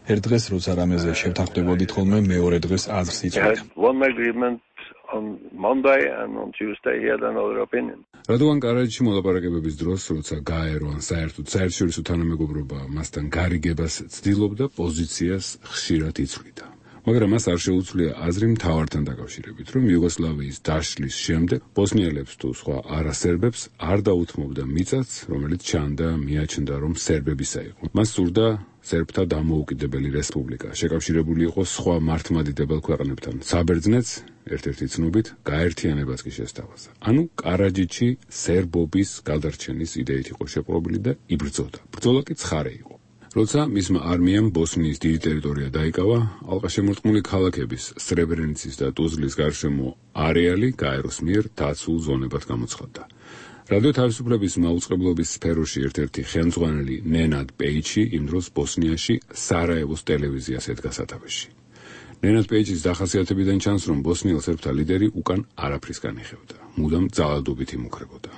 ერთ დღეს როცა რამეზე შევთანხმდებოდით ხოლმე, მეორე დღეს აზრს იწვევდა. On Monday and on Tuesday he had another opinion. რადოვან კარაჯიში მოლაპარაკებების დროს, როცა გაერო ან საერთოდ საერთაშორისო თანამეგობრობა მასთან გარიგებას ცდილობდა, პოზიციას ხშირად იცვლიდა. მაგრამ მას არ შეუძლია აზრი მთავართან დაკავშირებით, რომ იუგოსლავიის დაშლის შემდეგ ბოსნიელებს თუ სხვა არასერბებს არ დაუთმობდა მიწაც, რომელიც ჩანდა, მიაჩნდა, რომ სერბებისა იყო. მას სურდა სერბთა დამოუკიდებელი რესპუბლიკა, შეკავშირებული იყო სხვა მართლმადიდებელ ქვეყნებთან. საბერძნეთს ერთ-ერთი ცნობით გაერთიანებას კი შესთავაზა. ანუ კარაჯიჩი სერბობის გადარჩენის იდეით იყო შეპყრობილი და იბრძოდა. ბრძოლა კი ცხარე იყო. როცა მისმა არმიამ ბოსნიის დიდი ტერიტორია დაიკავა, ალყაშემორტყმული ქალაქების სრებრენიცის და ტუზლის გარშემო არეალი გაეროს მიერ დაცულ ზონებად გამოცხადდა. რადიო თავისუფლების მაუწყებლობის სფეროში ერთ-ერთი ხელმძღვანელი ნენად პეიჩი იმ დროს ბოსნიაში სარაევოს ტელევიზიას ედგა სათავეში. ნენად პეიჩის დახასიათებიდან ჩანს, რომ ბოსნიელ სერბთა ლიდერი უკან არაფრის განიხევდა, მუდამ ძალადობით იმუქრებოდა.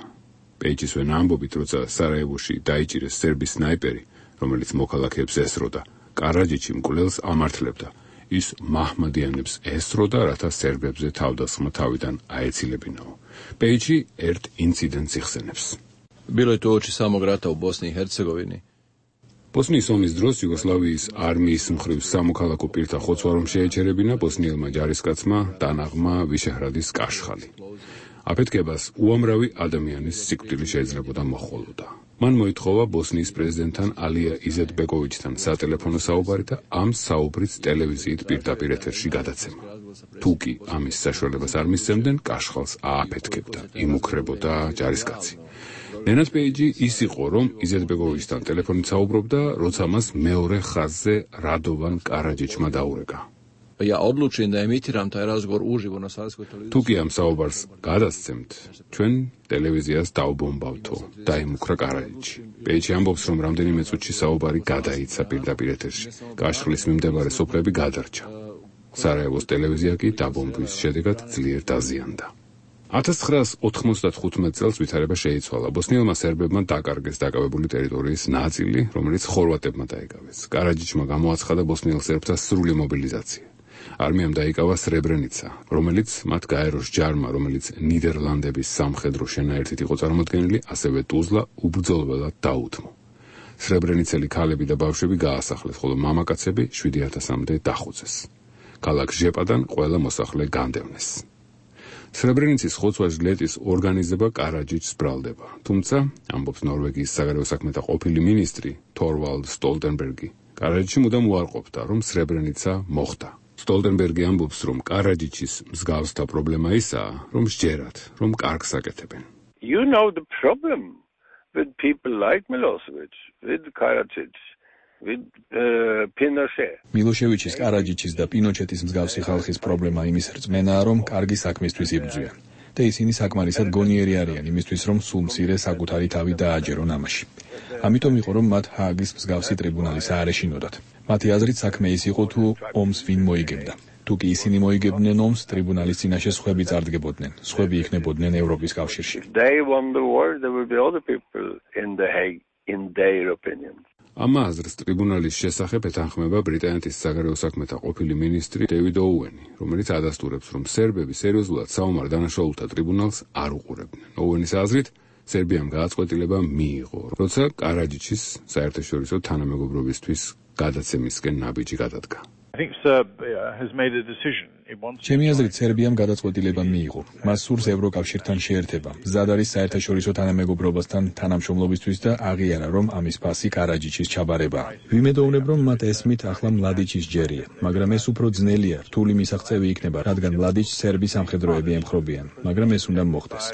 პეიჩის ვენა ამბობით, როცა სარაევოში დაიჭირეს სერბის სნაიპერი, რომელიც მოქალაქეებს ესროდა, კარაჯიჩი მკვლელს ამართლებდა. ის მაჰმადიანებს ესროდა, რათა სერბებზე თავდასხმა თავიდან აეცილებინაო. პეიჩი ერთ ინციდენტს იხსენებს. Bilo je to oči samog rata u Bosni i Hercegovini. ბოსნიის ომის დროს იუგოსლავიის არმიის მხრივ სამოქალაქო პირთა ხოცვა რომ შეეჩერებინა ბოსნიელმა ჯარისკაცმა დანაღმა ვიშეჰრადის კაშხალი. აფეთქებას უამრავი ადამიანის სიკვდილი შეიძლებოდა მოჰყოლოდა. მან მოითხოვა ბოსნიის პრეზიდენტთან ალია იზეტბეკოვიჩთან სატელეფონო საუბარი და ამ საუბრიც ტელევიზიით პირდაპირ ეთერში გადაცემა. თუ კი ამის საშუალებას არ მისცემდნენ, კაშხალს ააფეთქებდა, იმუქრებოდა ჯარისკაცი. ნენად პეიჯი ის იყო, რომ იზეტბეკოვიჩთან ტელეფონით საუბრობდა, როცა მას მეორე ხაზზე რადოვან კარაჯიჩმა დაურეკა. Ja odlučim da emitiram taj razgovor uživo na Savskoj televiziji. თუ კი ამ საუბარს გადასცემთ, ჩვენ ტელევიზიას დავბომბავთო, დაიმუქრა კარაჯიჩი. პეიჯი ამბობს, რომ რამდენიმე წუთში საუბარი გადაიცა პირდაპირ ეთერში. კაშხლის მიმდებარე სოფლები გადარჩა. სარაევოს ტელევიზია კი დაბომბვის შედეგად ძლიერ დაზიანდა. 1995 წელს ვითარება შეიცვალა. ბოსნიელმა სერბებმა დაკარგეს დაკავებული ტერიტორიის ნაწილი, რომელიც ხორვატებმა დაიკავეს. კარაჯიჩმა გამოაცხადა ბოსნიელ სერბთა სრული მობილიზაცია. არმიამ დაიკავა სრებრენიცა, რომელიც მათ გაეროს ჯარმა, რომელიც ნიდერლანდების სამხედრო შენაერთით იყო წარმოდგენილი, ასევე ტუზლა უბრძოლველად დაუთმო. სრებრენიცელი ქალები და ბავშვები გაასახლეს, ხოლო მამაკაცები 7000-მდე დახუცეს. ქალაქ ჟეპადან ყველა მოსახლე განდევნეს. სრებრენიცის ხოცვა ჟლეტის ორგანიზება კარაჯიჩს ბრალდება. თუმცა, ამბობს ნორვეგიის საგარეო საქმეთა ყოფილი მინისტრი თორვალდ სტოლტენბერგი, კარაჯიჩი მუდამ უარყოფდა, რომ სრებრენიცა მოხდა. სტოლტენბერგი ამბობს, რომ კარაჯიჩის მსგავსთა პრობლემა ისაა, რომ სჯერათ, რომ კარგს აკეთებენ. You know the problem with people like Milosevic, with Karadzic, with Pinochet. მილოშევიჩის, კარაჯიჩის და პინოჩეტის მსგავსი ხალხის პრობლემა იმის რწმენაა, რომ კარგი საქმისთვის იბრძვიან. და ისინი საკმარისად გონიერი არიან იმისთვის, რომ სულ მცირე საკუთარი თავი დააჯერონ ამაში. ამიტომ იყო, რომ მათ ჰააგის მსგავსი ტრიბუნალის აარეშინოდათ. მათი აზრით საქმე ის იყო, თუ ომს ვინ მოიგებდა. თუ კი ისინი მოიგებდნენ ომს, ტრიბუნალის წინაშე სხვები წარდგებოდნენ, სხვები იქნებოდნენ ევროპის კავშირში. They won the war, there will be other people in the Hague in their opinion. ამ აზრს ტრიბუნალის შესახებ ეთანხმება ბრიტანეთის საგარეო საქმეთა ყოფილი მინისტრი დევიდ ოუენი, რომელიც ადასტურებს, რომ სერბები სერიოზულად საომარ დანაშაულთა ტრიბუნალს არ უყურებდნენ. ოუენის აზრით, სერბიამ გააწყვეტილება მიიღო, როცა კარაჯიჩის საერთაშორისო თანამეგობრობისთვის გადაცემისკენ ნაბიჯი გადადგა. ჩემი აზრით, სერბიამ გადაწყვეტილება მიიღო. მას სურს ევროკავშირთან შეერთება, მზად არის საერთაშორისო თანამეგობრობასთან თანამშრომლობისთვის და აღიარა, რომ ამის ფასი კარაჯიჩის ჩაბარებაა. ვიმედოვნებ, რომ მათ ესმით ახლა მლადიჩის ჯერია, მაგრამ ეს უფრო ძნელია, რთული მისაღწევი იქნება, რადგან მლადიჩს სერბი სამხედროები ემხრობიან, მაგრამ ეს უნდა მოხდეს.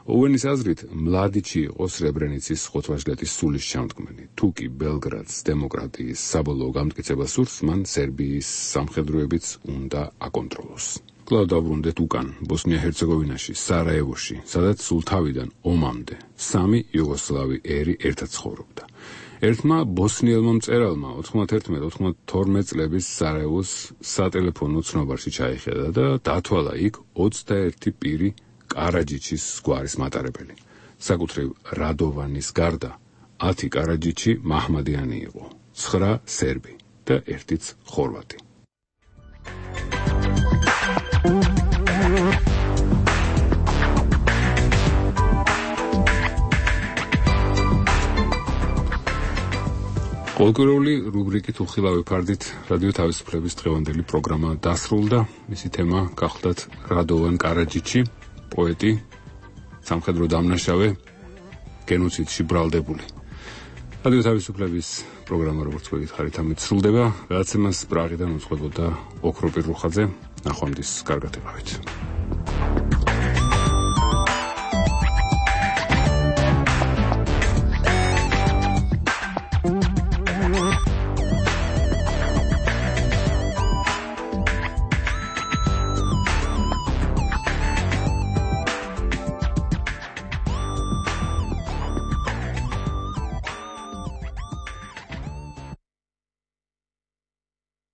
ოვენის აზრით, მლადიჩი იყო სრებრენიცის ხოთვაჟლეთის სულის ჩამდგმელი. თუ კი ბელგრადს დემოკრატიის საბოლოო გამტკიცება სურს, მან სერბიის სამხედროებიც უნდა აკონტროლოს. კვლავ დავბრუნდეთ უკან, ბოსნია-ჰერცეგოვინაში, სარაევოში, სადაც სულ თავიდან ომამდე 3 იუგოსლავი ერი ერთად ცხოვრობდა. ერთმა ბოსნიელმა მწერალმა 91-92 წლების სარაევოს სატელეფონო ცნობარში ჩაიხედა და დათვალა იქ 21 პირი კარაჯიჩის გვარის მატარებელი. საკუთრივ რადოვანის გარდა 10 კარაჯიჩი მაჰმადიანი იყო, 9 სერბი და 1-იც ხორვატი. ყოველკვირეული რუბრიკით უხილავი ფარდით რადიო თავისუფლების დღევანდელი პროგრამა დასრულდა. მისი თემა გახლდათ რადოვან კარაჯიჩი, პოეტი, სამხედრო დამნაშავე, გენოციდში ბრალდებული. რადიო თავისუფლების პროგრამა, როგორც გითხარით, ამით სრულდება. გადაცემას პრაღიდან უძღვებოდა ოქროპირ რუხაძე. ნახვამდის, კარგად եղავით.